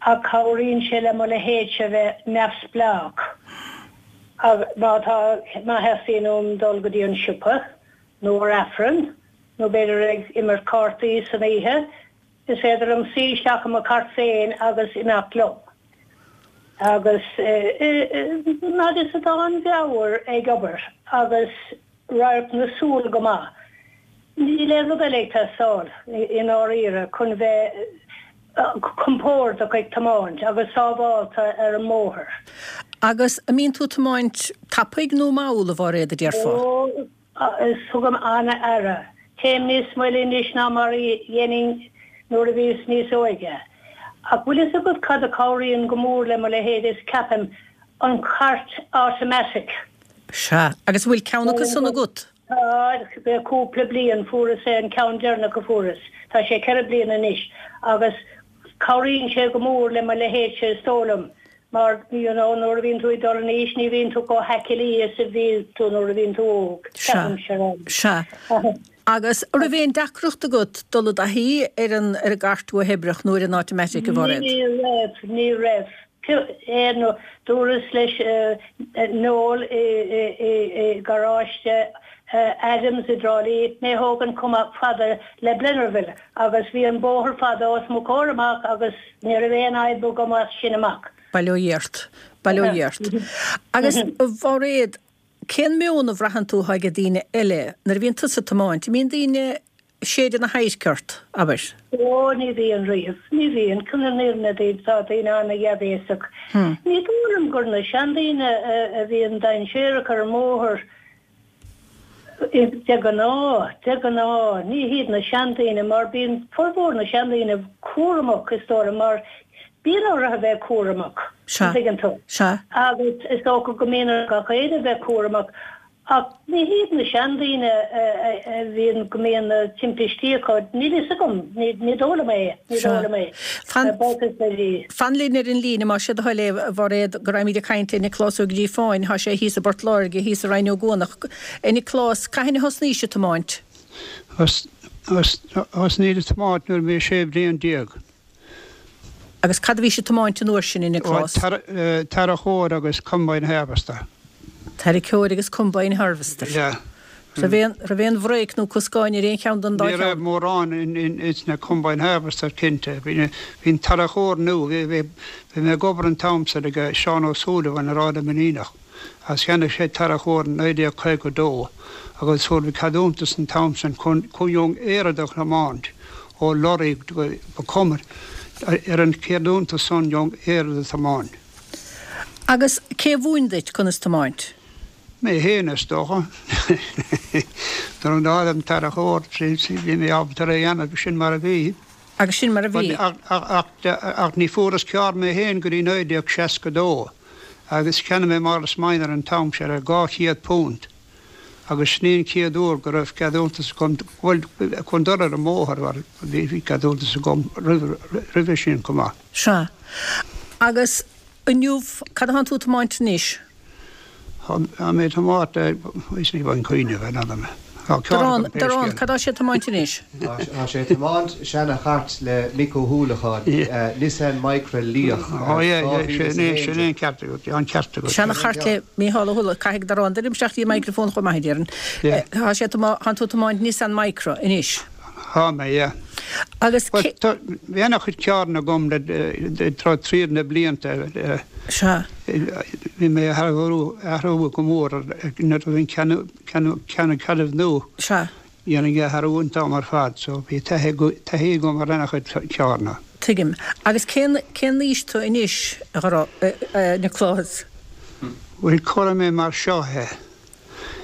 Ach cabhraíonn sé le mo leithéidse bheith neamhspleách má tá, má theastaíonn uaim dul go dtí an siopa, nó ar Aifreann, nó b'fhéidir ag imirt cártaí san oíche, is féidir liom suí isteach i mo chairt féin agus imeacht liom. Agus fhad is atá an mheabhair ag obair agus radharc na súl go maith, níl aon rud eile ag teastáil, i ndáiríre, chun bheith compordach ag tiomáint agus sábhálta ar an mbóthar. Agus an mbíonn tú ag tiomáint tapaidh nó mall, a Mháiréad, a déarfá? Ó, tugaim an-aire. Téim níos moille anois ná mar a dhéanainn nuair a bhíos níos óige. Ach bhfuil fhios agat cad a chabhraíonn go mór le mo leithéid is ceapaim, an chairt automatic. Sea, agus an bhfuil ceann acu san agat? Tá, le cúpla bliain, fuaireas é an ceann deireanach a fuaireas, tá sé ceithre bliana anois, agus cabhraíonn sé go mór le mo leithéidse is dóigh liom, mar you know nuair a bhíonn tú ag dul in aois ní bhíonn tú chomh haicilí is a bhí tú nuair a bhíonn tú óg, ceapaimse. Sea. Agus an raibh aon deacracht agat dul i dtaithí ar an ar an gcairt uathoibríoch nó ar an automatic, a Mháiréad? Ní raibh, ní raibh. Aon dúras leis Noel i garáiste Adams i dTrá Lí mé a thógaint chomh fada le Blennerville agus bhí an bóthar fada os mo chomhair amach agus ní raibh aon fhadhb agam as sin amach. Bail ó Dhia ort. Bail ó Dhia ort. Agus a Mháiréad, Cén meon a bhraitheann tú atá ag daoine eile nuair a bhíonn tusa ag tiomáint? An mbíonn daoine ag séideadh na hadhairce ort, abair? Ó, ní bhíonn riamh. Ní bhíonn. Chun na fírinne daoibh, tá daoine ana-dhea-bhéasach. Ní dóigh liom gur na seandaoine a bhíonn dainséarach ar an mbóthar de ghnáth. De ghnáth, ní hiad na seandaoine mar bíonn formhór na seandaoine cúramach, is dóigh liom, mar Bíonn orthu a bheith cúramach, Sea. an dtuigeann tú? Sea. Agus is dócha go mbíonn ar gach éinne a bheith cúramach, ach ní hiad na seandaoine a bhíonn, go mbíonn na timpistí acu, níl fhios agam, ní dóigh liom é, ní Sea. dóigh liom é. Fan, Buíochas le Dia. fan linn ar an líne, más é do thoil é, a Mháiréad, go raghaimid ag caint le Nioclás Ó Gríofáin, thá sé thíos i bPort Láirge, thíos i Rinn Ó gCuanach. A Nioclás, cathain a thosnaís ag tiomáint? Thosnaíos ag tiomáint nuair a bhí sé bliain déag. Agus cad a bhís ag tiomáint an uair sin, a Nioclás? Tarracóir agus combine harvester. Tarracóir agus combine harvester. Yeah. Raibh aon raibh aon bhréic nó coscáin ar aon cheann den dá Ní raibh cheann? mórán in in ins na combine harvester cinnte. Bhí bhí an tarracóir nua, bhí bhí bhí mé ag obair an t-am san ag Seán Ó Súilleabháin ar Ard na Mainíneach. Agus cheannaigh sé tarracóir in naoi déag caoga dó agus fuair mé ceadúntas an t-am san chun chun an oiread a thiomáint ó lorry go ba cuma ar an cheadúntas san an oiread a thiomáint. Agus cé a mhúin duit conas tiomáint? Mé féin is dócha. Nuair a d'fhág an tarracóir bhí mé ábalta é a dhéanamh sin mar a bhí. Agus sin mar a bhí. Ach ní fuaireas carr mé féin go dtí naoi déag seasca dó agus cheannaigh mé Morris Minor an t-am sin ar dhá chéad punt agus sin é an chéad uair go raibh ceadúntas agam bhuel chun dul ar an mbóthar mar bhí ceadúntas agam roimhe sin chomh maith. Sea. Agus inniu cad atá tú ag tiomáint anois? Tá mé ag tiomáint is ní bhain cuimhneamh ar nada mé. Tá ceann Darán, agam pé Darán, scéal. cad tá sé ag tiomáint anois? Tá sé ag tiomáint seana-chairt le Mick Ó hUallacháin, Nissan Micra liath. Ó yeah, yeah, sin é, sin é an ceart agat, an ceart agat. Seana-chairt le Mícheál Ó hUallacháin, caithfidh Darán druidim isteach dtí an microphone chomh maith, a déarfainn. Yeah. Tá sé tá tú ag tiomáint Nissan Micra anois. Tá mé, yeah. Agus Well, cé- tá- bhí ana-chuid carranna agam le le tráth tríd na blianta. eh, Sea. Bhí mé ag athrú athrú go mór nuair a bhí'n ceann ceann ceann ceann nua. Sea. Dhéanainn athrú an t-am ar fad, so bhí taithí taithí agam ar ana-chuid carranna. Tuigim. Agus cén cén aois tú anois, a Dharán, Nioclás? Bhuel cuirfidh mé mar seo é.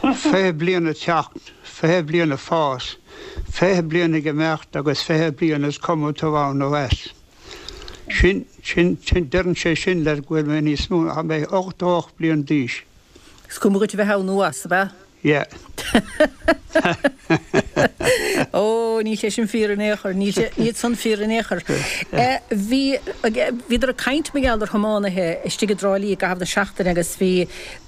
Fiche bliain ag teacht, fiche bliain ag fás, fiche bliain ag imeacht agus fiche bliain is cuma tú ann nó as. Sin sin sin deireann sé sin le go bhfuil mé níos mó, tá mé ochtó ocht bliain d'aois. Is cuma dhuit a bheith ann nó as, ab ea? Yeah. Ó, níl sé sin fíor in aon chor, níl sé níl san fíor in aon chor. Eh, Bhí bhíodar ag caint mar gheall ar thiománaithe istigh i dTrá Lí i gcaitheamh na seachtaine agus bhí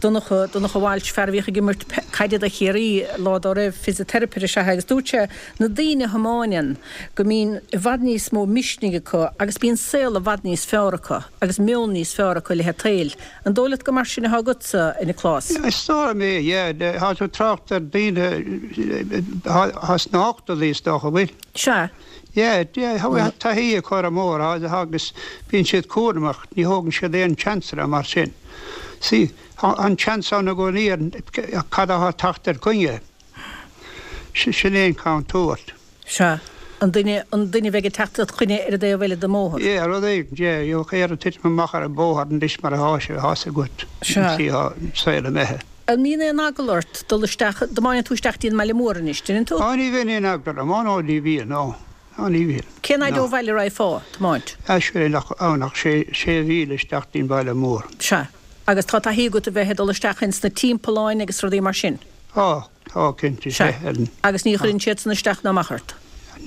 Donncha Donncha Walsh fear a bhíodh ag imirt caide do Chiarraí lá dá raibh fisiteiripeoir is ea é agus dúirt sé na daoine a thiomáineann go mbíonn i bhfad níos mó misnigh acu agus bíonn saol i bhfad níos fearr acu agus meon níos fearr acu le haghaidh an tsaoil. An dóigh leat go mar sin atá agatsa, a Niocláis? Is dóigh mé, yeah, tá tú trácht ar daoine thá sna hochtóidí is dócha bhfuil. Sea. Yeah, yeah, tá taithí acu ar an mbóthar agus bíonn siad cúramach, ní thógann siad aon seansanna mar sin. Sí, an seans ann i gcónaí ar cad atá ag teacht ar coinne. Sin é an contúirt. Sea. An duine an duine bheidh ag teacht ar choinne ar an dtaobh eile den mbóthar. Yeah, rud éigin, yeah, gheobhaidh air titim amach ar an bóthar anois mar atá sé, tá sé agat. Sea. Sí, tá saol imithe. An mbíonn aon eagla ort dul isteach, tiomáineann tú isteach dtí an mbaile mór anois, déanann tú? Á, ní bhíonn aon eagla orm, á, nó ní bhíonn, nó. Á, ní bhíonn. Cén fhaid ó bhaile a raghfá, tiomáint? Á, sin nach, á, nach sé, sé mhíle isteach dtí an baile mór. Sea. Agus tá taithí agat a bheith ag dul isteach ins na timpealláin agus rudaí mar sin? Á, tá, cinnte, Sea. sé. Agus ní chuireann siad san isteach ná amach ort?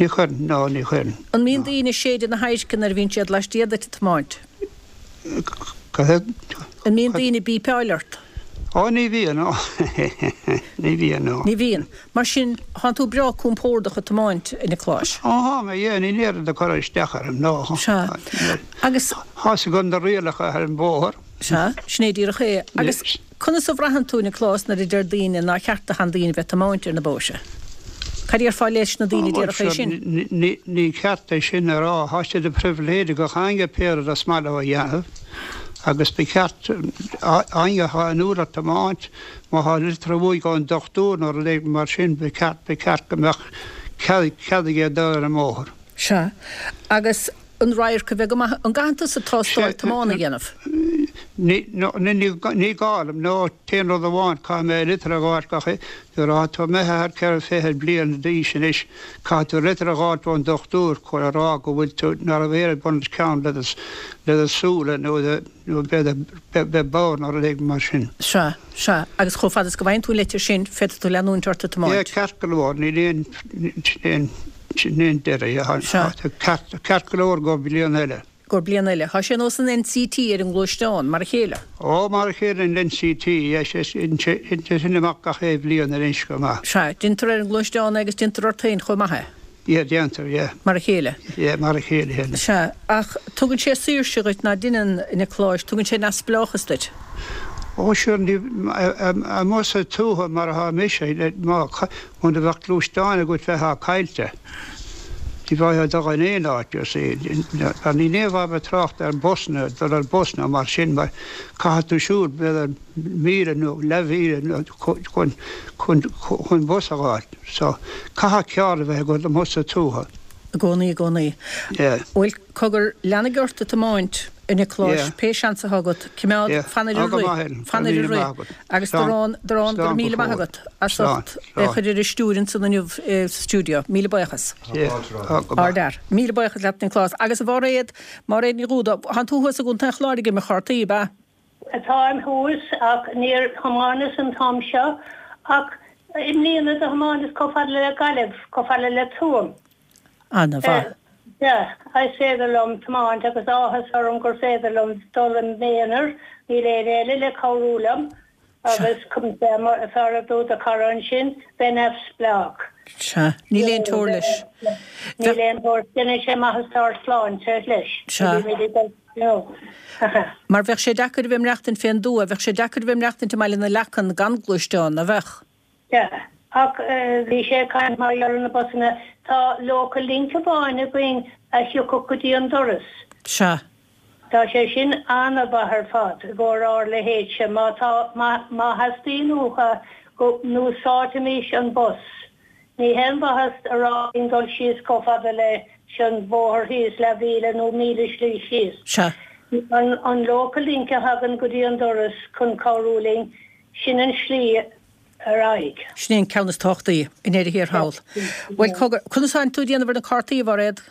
Ní chuireann, ná, ní chuireann. An mbíonn daoine ag séideadh na hadhairce nuair a bhíonn siad laistiar duit ag tiomáint? Cad An mbíonn daoine ag bípeáil ort? Á, ní bhíonn, nó. Ní bhíonn, nó. Ní bhíonn. Mar sin, tánn tú breá compordach ag tiomáint, a Niocláis. Á, tá mé, yeah, níl oiread ag cur isteach orm, nó. Sea. Agus Tá's agam na rialacha ar an bóthar. Sea, sin é díreach é. Agus conas a bhraitheann tú, Nioclás, nuair a deir daoine nár cheart do sheandaoine bheith ag tiomáint ar na bóithre? Cad a déarfá leis na daoine a déarfadh é sin? Ní ní ceart é sin a rá, tá sé de phribhléid ag gach éinne pé rud is maith leo a dhéanamh. Agus ba cheart éinne atá inniúil ar tiomáint, má tá litir uaidh ón dochtúir nó rud éigin mar sin, ba cheart ba cheart go mbeadh cead cead aige dul ar an mbóthar. Sea. Agus an radharc a bheith go maith, an gcaitheann tusa tástáil tiomána a dhéanamh? Ní ní ní gá dom, nó t-aon rud amháin, caithfidh mé litir a fháilt gach nuair atá tú imithe thar ceithre fiche bliain d'aois anois, caithfidh tú litir a fháilt ón dochtúir chun a rá go bhfuil tú nach raibh aon bun os cionn le do le do súile nó do nó beidh beidh bodhar nó rud éigin mar sin. Sea, sea. Agus chomh fada is go bhfaigheann tú an litir sin, féadfaidh tú leanúint ort ag Yeah, tiomáint. ceart go leor, níl aon aon aon deireadh, Sea. ceart ceart go leor go bliain eile. Gur bliain eile. Tá sé nós an NCT ar an ngluaisteán, mar a chéile. Ó, mar a chéile an NCT, sé sin amach gach aon bhliain ar go maith. Sea, déantar ar an ngluaisteán agus déantar ort féin chomh maith é. Yeah, déantar, yeah. Mar a chéile. Yeah, mar a chéile héile. Sea, ach tugann sé saoirse dhuit nach ndeineann, a Niocláis, tugann sé neamhspleáchas duit. Ó sure, ní, amuigh sa tuath mar atá mise, má, muna bheadh gluaisteán agat bheifeá caillte. Ní bheifeá ag dul in aon áit, you see. Mar níl aon mhaith bheith trácht ar busanna, dul ar bus nó mar sin mar caithfidh tú siúl b'fhéidir míle nó leathmhíle nó chun, chun, chun bus a fháil. So, caithfidh carr a bheith agat amuigh sa tuath. I gcónaí, i gcónaí. Yeah. Bhuel, cogar, leanaigí ort ag tiomáint, a Niocláis, Yeah. pé seans atá agat, cimeád, Yeah. fan ar Tá an go rith, maith, Helen. fan Go ar raibh an míle rith. maith agat. Agus Slán. dorán, dorán, go Slán raibh go míle maith fóill. agat as Slán. ucht é Slán. chur ar an stiúir ansan inniu sa stiúideo. Míle buíochas. Yeah. Tá go maith. Ardfhear. Míle buíochas leat, Nioclás. Agus a Mháiréad, Máiréad Ní Dhúda, thánn tú thuas i gContae an Chláir ag imirt chártaí, ab ea? Táim thuas ach níor thiomáineas an t-am seo ach i mbliana do thiomáineas chomh fada le Gaillimh, chomh fada le Tuaim. Ana-mhaith. Yeah, is féidir liom tiomáint agus áthas orm gur féidir liom dul i m'aonar, níl éinne eile le cabhrú liom agus fear a dúirt a chara ansin, bheith neamhspleách. Sea, níl aon teora leis. Níl aon teora, déanann sé maitheas dár sláinte leis. Sea. No. Mar bheadh sé deacair a bheith ag maireachtaint fén dtuath, bheadh sé deacair a bheith ag maireachtaint i mBaile na Leacan gan gluaisteán, nach bheadh? Yeah. Ach bhí sé ag caint mar gheall ar na busanna, tá Local Link amháin againn a thiocfadh go dtí an doras. Sea. Tá sé sin an-mhaith ar fad i gcomhair ár leithéidse má tá, má, má theastaíonn uathu go n-úsáidfimis an bus. Ní haon mhaitheas a rá linn dul síos chomh fada leis an bhóthar thíos, leathmhíle nó míle slí síos. Sea. An, an Local Link a thagann go dtí an doras chun cabhrú linn, sin an slí ar aghaidh. Sin é an ceann is tábhachtaí i ndeireadh thiar thall. Bhuel, cogar, conas atánn tú ag déanamh ar na cártaí, a Mhairéad?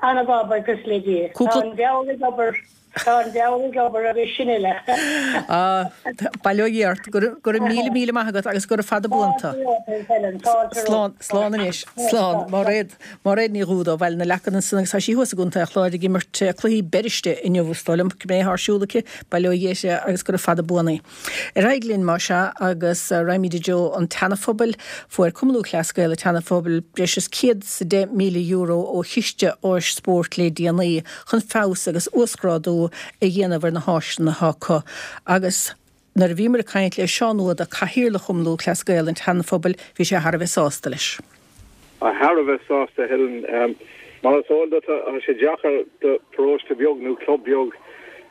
Ana-mhaith, buíochas le Dia. Cúpla. Tá an mheabhair ag obair, tá an mheabhair ag obair agus sin uile. Ah, bail ó Dhia ort. Go raibh, go raibh míle míle maith agat agus gura fada buan tú. Helen, fáilte Slán, romhat. slán anois. Slán. Mairéad, Mairéad Ní Dhúda ó Bhaile na Leacan ansan agus tá sí thuas i gContae an Chláir ag imirt cluichí beiriste inniu is dóigh liom, cibé atá ar siúl aici, bail ó Dhia uirthi agus gura fada buan í. Ar aghaidh linn más ea agus raghaimid i dtreo an tSeana-Phobail, fuair Cumann Lúthchleas Gael an tSeana-Phobail breis is céad is a deich míle euro ó Chiste Áis Spóirt le déanaí chun feabhas agus uasghrádú a dhéanamh ar na háiseanna atá acu. Agus nuair a bhíomar ag caint le Seán Ó hAodha, Cathaoirleach Chumann Lúthchleas Gael an tSeana-Phobail, bhí sé thar a bheith sásta leis. Thar a bheith sásta, Helen. Mar is eol duit, tá sé deacair do pharóiste beag nó club beag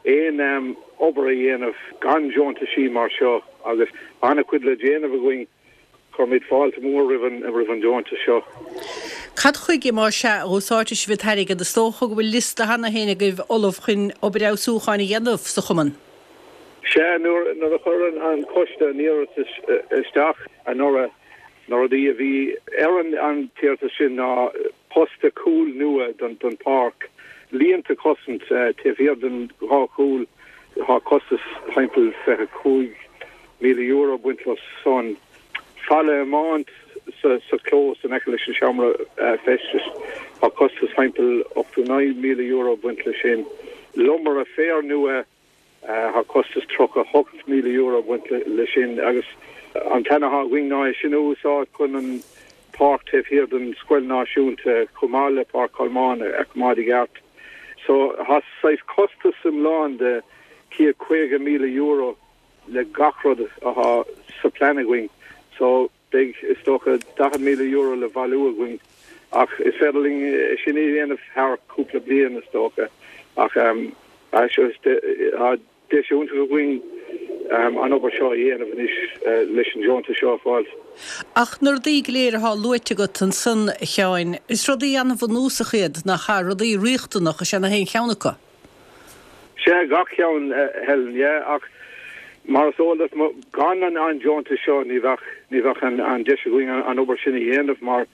aon obair a dhéanamh gan deontaisí mar seo agus an-chuid le déanamh againn. Cuirimid fáilte mór roimh an roimh an deontas seo. Cad chuige más ea a úsáidfidh sibh an t-airgead? Is dócha go bhfuil liosta cheana féin agaibh ullamh chun obair fheabhsúcháin a dhéanamh sa chumann. Sea, nuair nuair a chuir an an coiste an iarratas isteach anuraidh, na rudaí a bhí ar an an t-iarratas sin ná posta cúil nua don don pháirc, líonta cosaint taobh thiar den dhá chúl, tá costas timpeall fiche cúig míle euro ag baint leo san. Falla iomáint sa sa chlós in aice leis an seomra feistis, tá costas timpeall ochtó naoi míle euro ag baint leis sin. Lomaire féir nua, tá costas tríocha hocht míle euro ag baint leis sin agus an plean atá againn ná é sin a úsáid chun an páirc taobh thiar den Scoil Náisiúnta chomh maith le Páirc Cholmáin a choimeád i gceart. So tá saghas costas iomlán de céad caoga míle euro le gach rud atá sa plean againn. So beidh is dócha daichead míle euro le bailiú againn ach is féidir linn é sin a dhéanamh thar cúpla bliain is dócha ach um, tá deis iontach againn um, an obair seo a dhéanamh anois uh, leis an deontas seo a fháil. Ach na rudaí go léir atá luaite agat ansan, a Sheáin, is rudaí an-bhunúsach iad nach ea, rudaí riachtanach is ea na haon cheann acu. Sea, gach ceann, Helen, yeah, ach mar is eol duit gan an an deontas seo ní bheadh ní bheadh an an deis againn an obair sin a dhéanamh mar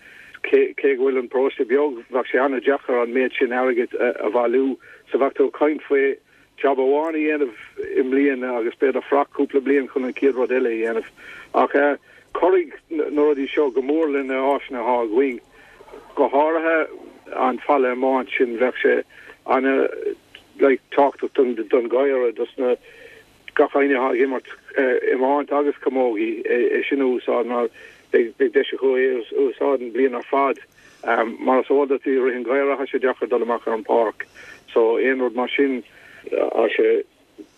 cé cé go bhfuil an paróiste beag bheadh sé an-deacair an méid sin airgid a bhailiú so bheadh tú ag caint faoi job amháin a dhéanamh i mbliana agus b'fhéidir fanacht cúpla bliain chun an chéad rud eile a dhéanamh. Ach uh, cuirfidh na rudaí seo go mór lena áiseanna atá againn. Go háirithe an falla iomáint sin bheadh sé ana like, tábhachtach don don ghaire dos na gach éinne atá ag imirt iomáint agus camógaí é sin a úsáid mar beidh deis acu é úsáid an bliain ar fad. Um, mar is eol duit i rith an gheimhridh tá sé deacair dul amach ar an páirc. So aon rud mar sin tá sé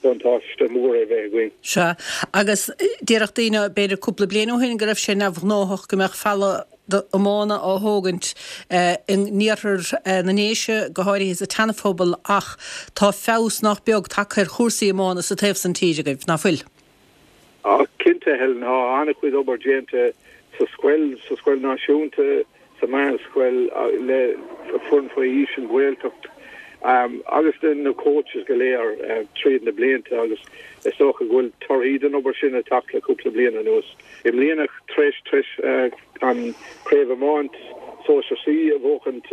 buntáiste mór é bheith againn. Sea, agus déarfadh daoine, b'fhéidir cúpla bliain ó shin, go raibh sé neamhghnóthach go mbeadh falla iomána á thógaint in iarthar na nDéise, go háirithe sa tSeanaphobal, ach tá feabhas nach beag tagtha ar chúrsaí iomána sa taobh san tíre agaibh, ná fuil? Á, cinnte, Helen, tá an-chuid obair déanta sa scoil, sa scoil náisiúnta, sa meánscoil, le foireann faoi aois, an Ghaeltacht agus na coaches go léir tríd na blianta agus is dócha go bhfuil torthaí den obair sin ag teacht le cúpla bliain anuas. I mbliana, tar éis tar éis an Craobh Iomáint Sóisear C a bhuachaint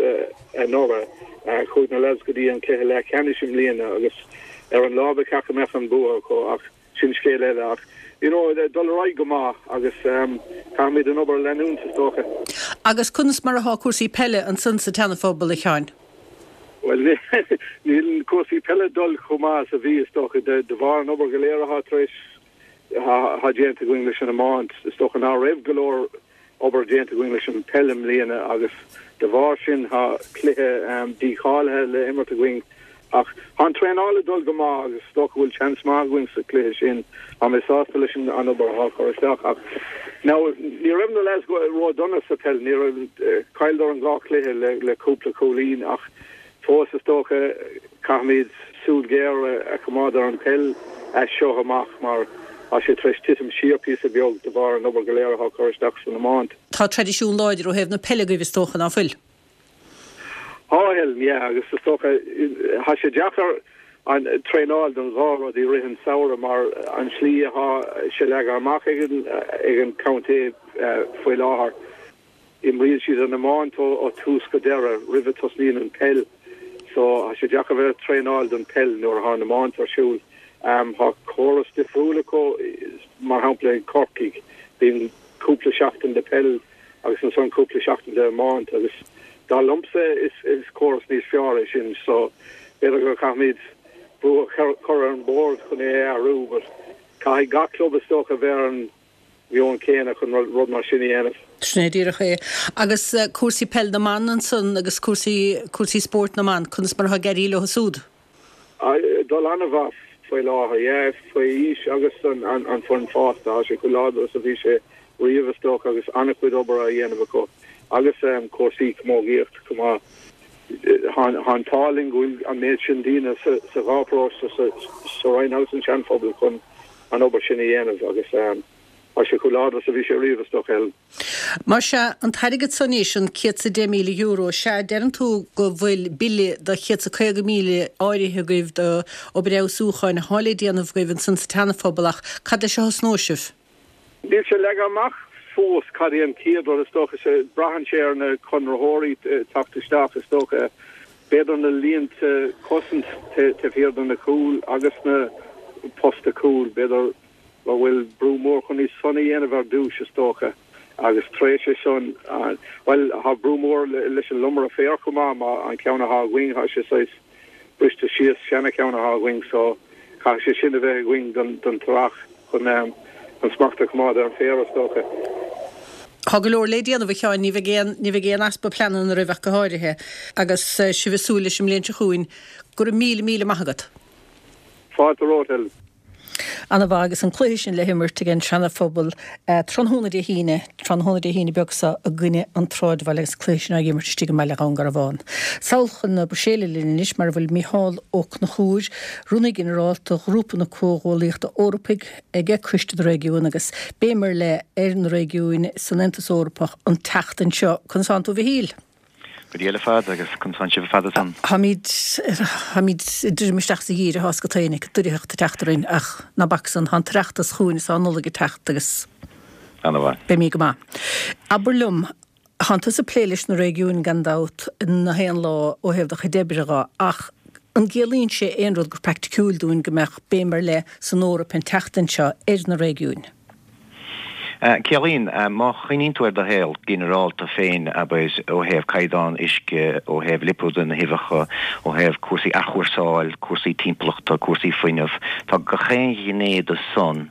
anuraidh, chuaigh na lads go dtí an cluiche leathcheannais i mbliana agus ar an lá ba cheart go mbeadh an bua acu ach sin scéal eile ach you know dul ar aghaidh go maith agus caithfimid an obair a leanúint is dócha. Agus conas mar atá cúrsaí peile ansan sa tSeana-Phobal, a Sheáin? Bhuel níl cúrsaí peile dul chomh maith is a bhí is dócha de de bharr an obair go léir atá tar éis atá déanta againn leis an iomáint. Is dócha ná raibh go leor obair déanta againn leis an peil i mbliana agus de bharr sin tá cluiche dícháilithe le imirt againn ach tá an traenáil ag dul go maith agus is dócha go bhfuil seans maith againn sa chluiche sin. Tá mé sásta leis an obair atá curtha isteach ach now ní raibh na lads ró-dona sa peil, ní raibh, chailleadar an dhá chluiche le le cúpla cúilín ach fós is dócha caithfimid súil ghéar a choimeád ar an peil as seo amach mar tá sé tar éis titim siar píosa beag de bharr an obair go léir atá curtha isteach san iomáint. Tá traidisiún láidir ó thaobh na peile agaibh is dócha, ná fuil? Tá, Helen, yeah, agus is dócha tá sé deacair an traenáil don dhá rud i rith an samhradh mar an slí atá sé leagtha amach ag an ag an contae faoi láthair. Imríonn siad an iomáint ó tús go deireadh roimh a tosnaíonn an peil so tá sé deacair bheith ag traenáil don peil nuair atá an iomáint ar siúl. Tá córas difriúil acu mar shampla i gCorcaigh bíonn cúpla seachtain de peil agus ansan cúpla seachtain de iomáint agus dar liomsa is is córas níos fearr é sin so b'fhéidir go caithfimid brú a chur ar an bord chun é a athrú but caithfidh gach club is dócha bheith ar an meon céanna chun rud mar sin a dhéanamh. Sin é díreach é. Agus cúrsaí peil na mban ansan agus cúrsaí, cúrsaí spóirt na mban, conas mar atá ag éirí leo súd? Ag dul an-mhaith faoi láthair, yeah, faoi aois agus an, an, an foireann fásta, tá sé chomh láidir is a bhí sé riamh is dócha agus an-chuid obair á dhéanamh acu agus cúrsaí camógaíochta chomh maith. Tá an t-ádh linn go bhfuil an méid sin daoine sa, sa dhá pharóiste, sa, sa Rinn agus an Seanphobal chun an obair sin a dhéanamh agus tá sé chomh láidir is a bhí sé riamh, is dócha, Helen. Mar sea, an t-airgead so anois, an céad 's a deich míle euro, sea, deireann tú go bhfuil bille do chéad 's a caoga míle áirithe agaibh do obair fheabhsúcháin atá le déanamh agaibh ansan sa tSeana-Phobal ach cad leis a thosnóidh sibh? Níl sé leagtha amach fós cad é an chéad rud, is dócha. Braitheann sé ar na conraitheoirí teacht isteach, is dócha. B'fhéidir na línte cosaint taobh thiar de na cúil agus na posta cúil, b'fhéidir go bhfuil brú mór chun iad san a dhéanamh ar dtús, is dócha, agus tar éis é san, bhuel, tá brú mór leis an lomaire féir chomh maith, má an ceann atá againn, tá sé saghas briste síos, seana-cheann atá againn, so caithfidh sé sin a bheith againn don don t-earrach chun an smacht a choimeád ar an féar, is dócha. Tá go leor le déanamh, a Sheáin, ní bheidh aon, ní bheidh aon easpa pleananna roimh ach go háirithe, agus sibh ag súil leis an mbliain seo chugainn. Go raibh míle, míle maith agat. Fáilte romhat, Helen. Ana mhaith agus an cluiche sin le himirt ag an Seana-Phobal tráthnóna Dé hAoine, tráthnóna Dé hAoine beag seo i gcoinne an tSráidbhaile agus an cluiche sin á imirt istigh i mBaile Dhún Garbhán. Sall chun na Bruiséile linn anois mar a bhfuil Mícheál Ó Conchúir, Rúnaí Ginearálta Ghrúpa na Comhghuallaíochta Eorpaigh ag Coiste na Réigiún agus béim ar leith ar na réigiúin san Aontas Eorpach an tseachtain seo. Conas tánn tú a Mhichíl? Go diail ar fad agus conas tánn sibh ar fad ansan? Táimid, táimid ag druidim isteach sa gheimhreadh thá go taoineach, an dorchaíocht ag teacht orainn ach ná bac san, tá an tOireachtas chugainn is tá an Nollaig ag teacht agus Ana-mhaith. beimid go maith. Abair liom, tánn tusa ag plé leis na réigiúin gan dabht nach aon lá ó thaobh do chuid oibre dho ach an gciallaíonn sé aon rud go praiticiúil dúinn go mbeadh béim ar leith san Eoraip an tseachtain seo ar na réigiúin? Ciallaíonn. Má chuimhníonn tú ar do shaol ginearálta féin, abair, ó thaobh caighdeán uisce, ó thaobh lipéadú na huibheacha, ó thaobh cúrsaí athchúrsáil, cúrsaí timpeallachta, cúrsaí fuinnimh, tá gach aon ghné de san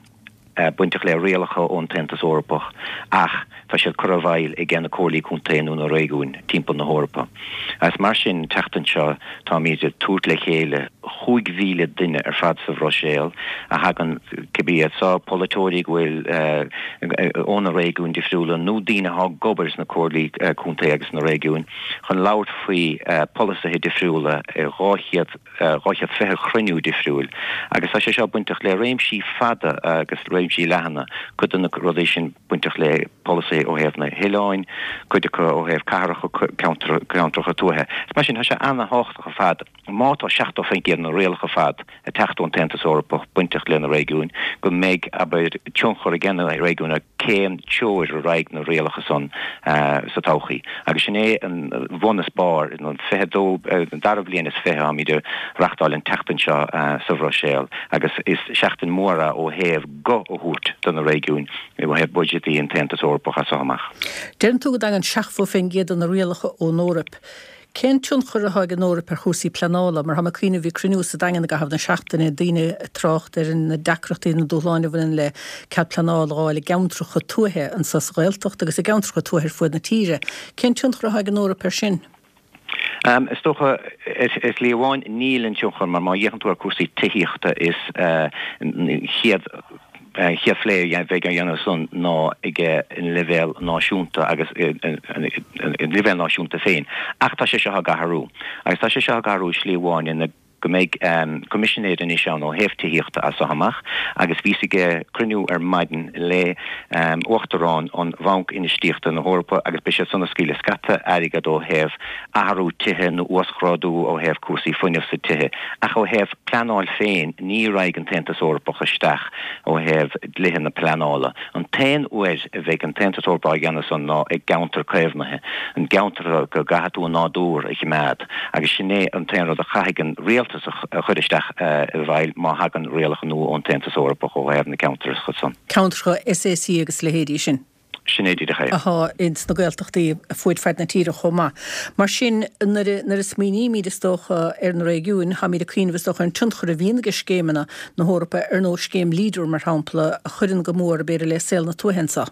bainteach le rialacha ón tAontas Eorpach ach tá siad curtha i bhfeighil ag na comhairlí contae nó na réigiúin timpeall na hEorpa. Agus mar sin, an tseachtain seo táimid ag tabhairt le chéile chúig mhíle duine ar fad sa Bhruiséil a thagann, cibé iad so, polaiteoirí go bhfuil ó na réigiúin difriúla nó daoine atá ag obair sna comhairlí contae agus sna réigiúin, chun labhairt faoi pholasaithe difriúla i dhá chéad, dhá chéad fiche chruinniú difriúil. Agus tá sé seo bainteach le réimsí fada agus réimsí leathana, cuid de na rudaí sin bainteach le polasaithe ó thaobh na hoileáin, cuid acu ó thaobh cathracha, ceantracha tuaithe. Is mar sin, tá sé ana-thábhachtach ar fad, má tá seachtó faoin gcéad de na rialacha ar fad ag teacht ón tAontas Eorpach bainteach le na réigiúin, go mbeidh, abair, tionchar ag na réigiúin ar cén treoir a raghaidh na rialacha san sa todhchaí. Agus sin é an bhun is barr, an fiche dó, an dara bhliain is fiche táimid ag reachtáil an tseachtain seo sa Bhruiséil agus is seachtain mhór é ó thaobh guth a thabhairt do na réigiúin ó thaobh buiséadaí an tAontas Eorpach as seo amach. Deireann tú go dtagann seachtó faoin gcéad de na rialacha ón Eoraip. Cén tionchar atá ag an Eoraip ar chúrsaí pleanála? Mar tá mé ag cuimhneamh, bhí cruinniú sa Daingean i gcaitheamh na seachtaine, daoine ag trácht ar na deacrachtaí, na dúshláin a bhaineann le cead pleanála a fháil i gceantracha tuaithe anseo sa Ghaeltacht agus i gceantracha tuaithe ar fuaid na tíre. Cén tionchar atá ag an Eoraip air sin? Is dócha, ar shlí amháin, níl an tionchar, mar má fhéachann tú ar cúrsaí tithíochta is chéad chéad phlé a bheidh á dhéanamh san ná ag an leibhéal náisiúnta agus an leibhéal náisiúnta féin. Ach tá sé seo ag athrú. Agus tá sé seo ag athrú i slí amháin ina go mbeidh coimisinéir anois ann ó thaobh tithíochta as seo amach agus bhíos ag cruinniú ar maidin le Uachtarán an Bhanc Infheistíochta na hEorpa agus beidh siad san ag scaoileadh scata airgead ó thaobh athrú tithe nó uasghrádú ó thaobh cúrsaí fuinnimh sa tithe. Ach ó thaobh pleanáil féin ní raghaidh an tAontas Eorpach isteach ó thaobh dlíthe na pleanála. An t-aon uair a bheidh an tAontas Eorpach á dhéanamh san ná i gceantar caomhnaithe, an gceantar go gcaithfidh tú an nádúr a chimeád agus sin é an t-aon rud a chaithfidh an rialtas a chur isteach i bhfeighil má thagann rialacha nua ón tAontas Eorpach ó thaobh na ceantracha san. Ceantracha S A C agus leithéidí sin. Sin é díreach é. Atá ins na Gaeltachtaí fuaid fad na tíre chomh maith. Mar sin, nuair a smaoinímid, is dócha, ar na réigiúin, táimid ag cuimhneamh, is dócha, ar an tionchar a bhíonn ag scéimeanna na hEorpa, ar nós scéim Leader, mar shampla, a chuireann go mór, b'fhéidir, le saol na tuaithe anseo.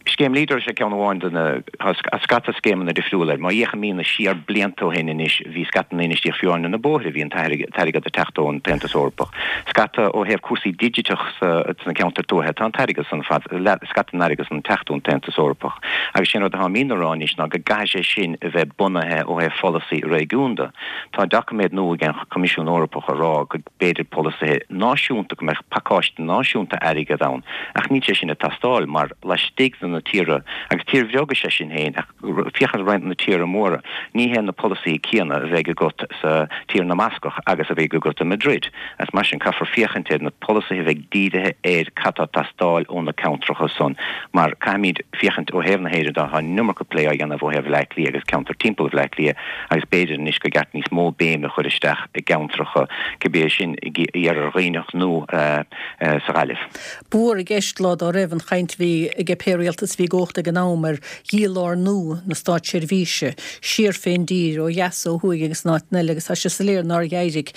Scéim Leader is ea ceann amháin de na, tá scata scéimeanna difriúla. Má fhéachaimid siar blianta ó shin anois, bhí scata na infheistíocht fiú amháin ar na bóithre, bhí an t-airgead ag teacht ón tAontas Eorpach. Scata ó thaobh cúrsaí digiteach sna ceantair tuaithe, tá an t-airgead san fad, scata den airgead san ag teacht ón tAontas Eorpach. Agus sé an rud atáimid a rá anois ná go gcaithfidh sé sin a bheith bunaithe ó thaobh pholasaí réigiúnda. Tá doiciméad nua ag an Choimisiún Eorpach a rá go b'fhéidir polasaithe náisiúnta, go mbeadh pacáiste náisiúnta airgead ann, ach níl sé sin ag teastáil mar laistigh de na tíortha, agus tír bheag is ea sinn féin, ach féach ar roinnt de na tíortha móra, ní hé na polasaithe céanna a bheidh agat sa Tír na mBascach agus a bheidh agat i Madrid. Agus mar sin, caithfear féachaint ar na polasaithe a bheidh dírithe ar cad tá ag teastáil ó na ceantracha san, mar caithfimid féachaint ó thaobh na hÉireann de, tá an iomarca plé á dhéanamh ó thaobh Bhaile Átha Cliath agus ceantar timpeall Bhaile Átha Cliath agus b'fhéidir anois gur ceart níos mó béime a chur isteach i gceantracha, cibé é sin i Iarthar Dhuibhneach nó sa Ghaillimh. Ba mhór i gceist lá dá raibh an chaint a bhí ag pé rialtas a bhí i gcumhacht ag an am ar dhílárnú na státseirbhíse siar fén dtír, ó dheas, ó thuaidh agus in áiteanna eile agus tá sé soiléir nár éirigh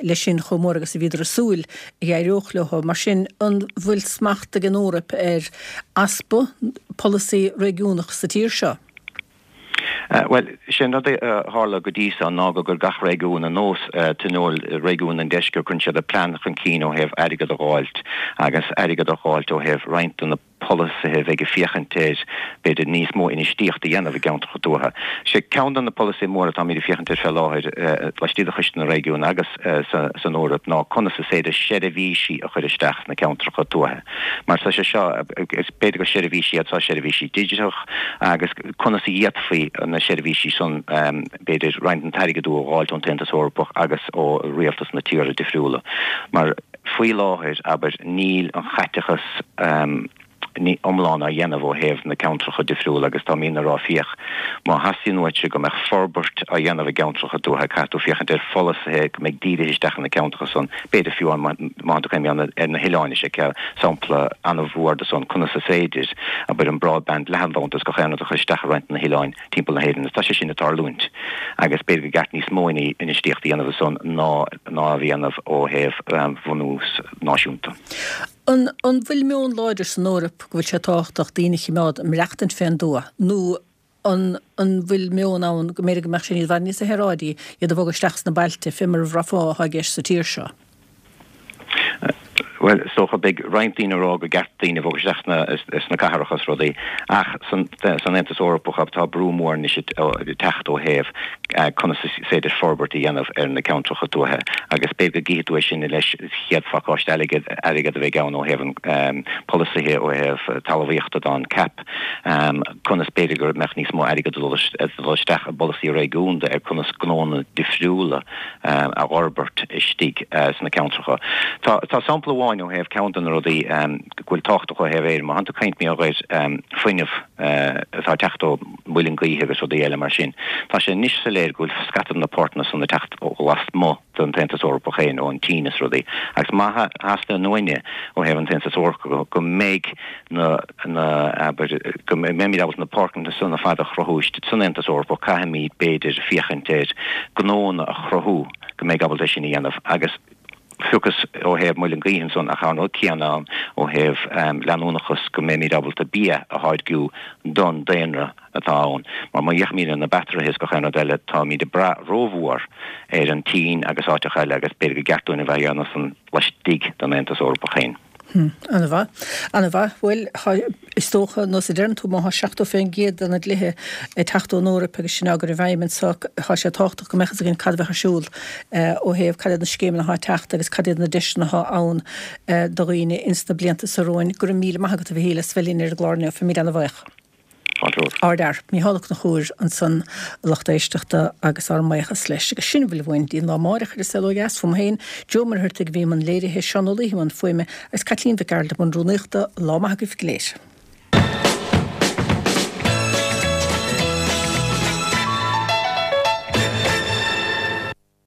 leis sin chomh mór agus a bhíodar ag súil a d'éireodh leo. Mar sin, an bhfuil smacht ag an Eoraip ar easpa polasaí réigiúnach sa tír seo? Bhuel, sé an rud a tharla go dtí so ná go gcuir gach réigiún ar nós Tionól Réigiún an Deiscirt, cuireann siad a plean chun cinn ó thaobh airgead a dh'fháilt agus airgead a dh'fháilt ó thaobh roinnt de na polasaithe a bheidh ag féachaint ar, b'fhéidir, níos mó infheistíocht a dhéanamh i gceantracha tuaithe. Sé ceann de na polasaithe móra atáimid ag féachaint air fé láthair laistigh de Choiste na Réigiún agus san Eoraip ná conas is féidir seirbhísí a chur isteach sna ceantracha tuaithe. Mar tá sé seo, is b'fhéidir gur seirbhísí iad seo, seirbhísí digiteach agus conas a d'fhéadfaí na seirbhísí san, b'fhéidir, roinnt den t-airgead a dh'fháilt ón tAontas Eorpach agus ó rialtas na tíortha difriúla. Mar faoi láthair, abair, níl an chaiteachas iomlán á dhéanamh ó thaobh na ceantracha difriúla agus táimidne a rá féach, má theastaíonn uaitse go mbeadh forbairt á dhéanamh i gceantracha tuaithe caithfidh tú féachaint ar pholasaithe go mbeidh dírithe isteach ina ceantracha san, b'fhéidir fiú amháin má tá tú ag cuimhneamh ar na hoileáin is é sampla an-mhór de san conas is féidir, abair, an broadband leathanbhanda is gach aon rud a chur isteach i roinnt de na hoileáin timpeall na hÉireann agus tá sé sin ag tarlúint agus b'fhéidir gur ceart níos mó infheistíocht a dhéanamh ansan ná ná a dhéanamh ó thaobh bhunús náisiúnta. An bhfuil meon láidir san Eoraip go bhfuil sé tábhachtach daoine a chimeád ag maireachtaint fén dtuath nó an an bhfuil meon ann go mb'fhéidir go mbeadh sé i bhfad níos saoráidí iad a bhogadh isteach sna bailte, fé mar a bhraithfeá atá i gceist sa tír seo? Bhuel, is dócha, beidh roinnt daoine ag rá gur ceart daoine a bhogadh isteach sna cathracha is rudaí, ach san Aontas Eorpach tá brú mór anois ag teacht ó thaobh conas is féidir forbairt a dhéanamh ar na ceantracha tuaithe agus b'fhéidir go gcífidh tú é sin leis an chéad phacáiste airgid a bheidh ann ó thaobh an polasaithe ó thaobh talmhaíochta don CAP, conas b'fhéidir go mbeadh níos mó airgid ag dul isteach i bpolasaí réigiúnda ar conas gnónna difriúla a fhorbairt istigh sna ceantracha. Tá sampla amháin ó thaobh ceann de na rudaí go bhfuil tábhachtach ó thaobh Éireann, má thánn tú ag caint mar gheall ar fuinneamh atá ag teacht ó mhuileann gaoithe agus rudaí eile mar sin, tá sé anois soiléir go bhfuil scata de na páirteanna san ag teacht ó lasmuigh den tAontas Eorpach féin, ón tSín is rudaí. Agus má theastaíonn uainne ó thaobh an tAontas Eorpach go mbeidh na, na, abair, go mbeimid ábalta na páirceanna san ar fad a chruthú istigh san Aontas Eorpach, caithfimid, b'fhéidir, féachaint ar gnónna a chruthú go mbeidh ábalta é sin a dhéanamh agus fiúchas ó thaobh muileann gaoithe ansan ach tá an rud céanna ann ó thaobh leanúnachas go mbeimid ábalta bia a tháirgiú don daonra atá ann mar má fhéachaimid ar na batteries is gach aon rud eile táimid ag brath rómhór ar an tSín agus áiteacha eile agus b'fhéidir gur ceart dúinn a bheith á dhéanamh san laistigh den Aontas Eorpach féin. Ana-mhaith. Ana-mhaith. Bhuel, is dócha, nós a deireann tú, má thá seachtó fén gcéad de na dlíthe ag teacht ón Eoraip agus sin á gcur i bhfeidhm anso, thá sé tábhachtach go mbeadh fhios againn cad a bheadh ar siúl ó thaobh cad iad na scéimeanna athá ag teacht agus cad iad na deiseanna athá ann do dhaoine ins na blianta so romhainn. Go raibh míle maith agat, a Mhichíl, as bheith linn ar an gclár inniu. Táimid ana-bhuíoch. Ardfhear. Mícheál Ó Conchúir ansan, a lucht éisteachta, agus ár mbuíochas leis. Agus sin a bhfuil uainn dtí an lá amáireach ar An Saol Ó Dheas. Fúm féin, Joe Ó Muircheartaigh a bhí i mbun léirithe, Seán Ó Laoi i mbun fuaime, agus Caitlín Mhic Gearailt i mbun rúnaíochta. Lá maith agaibh go léir.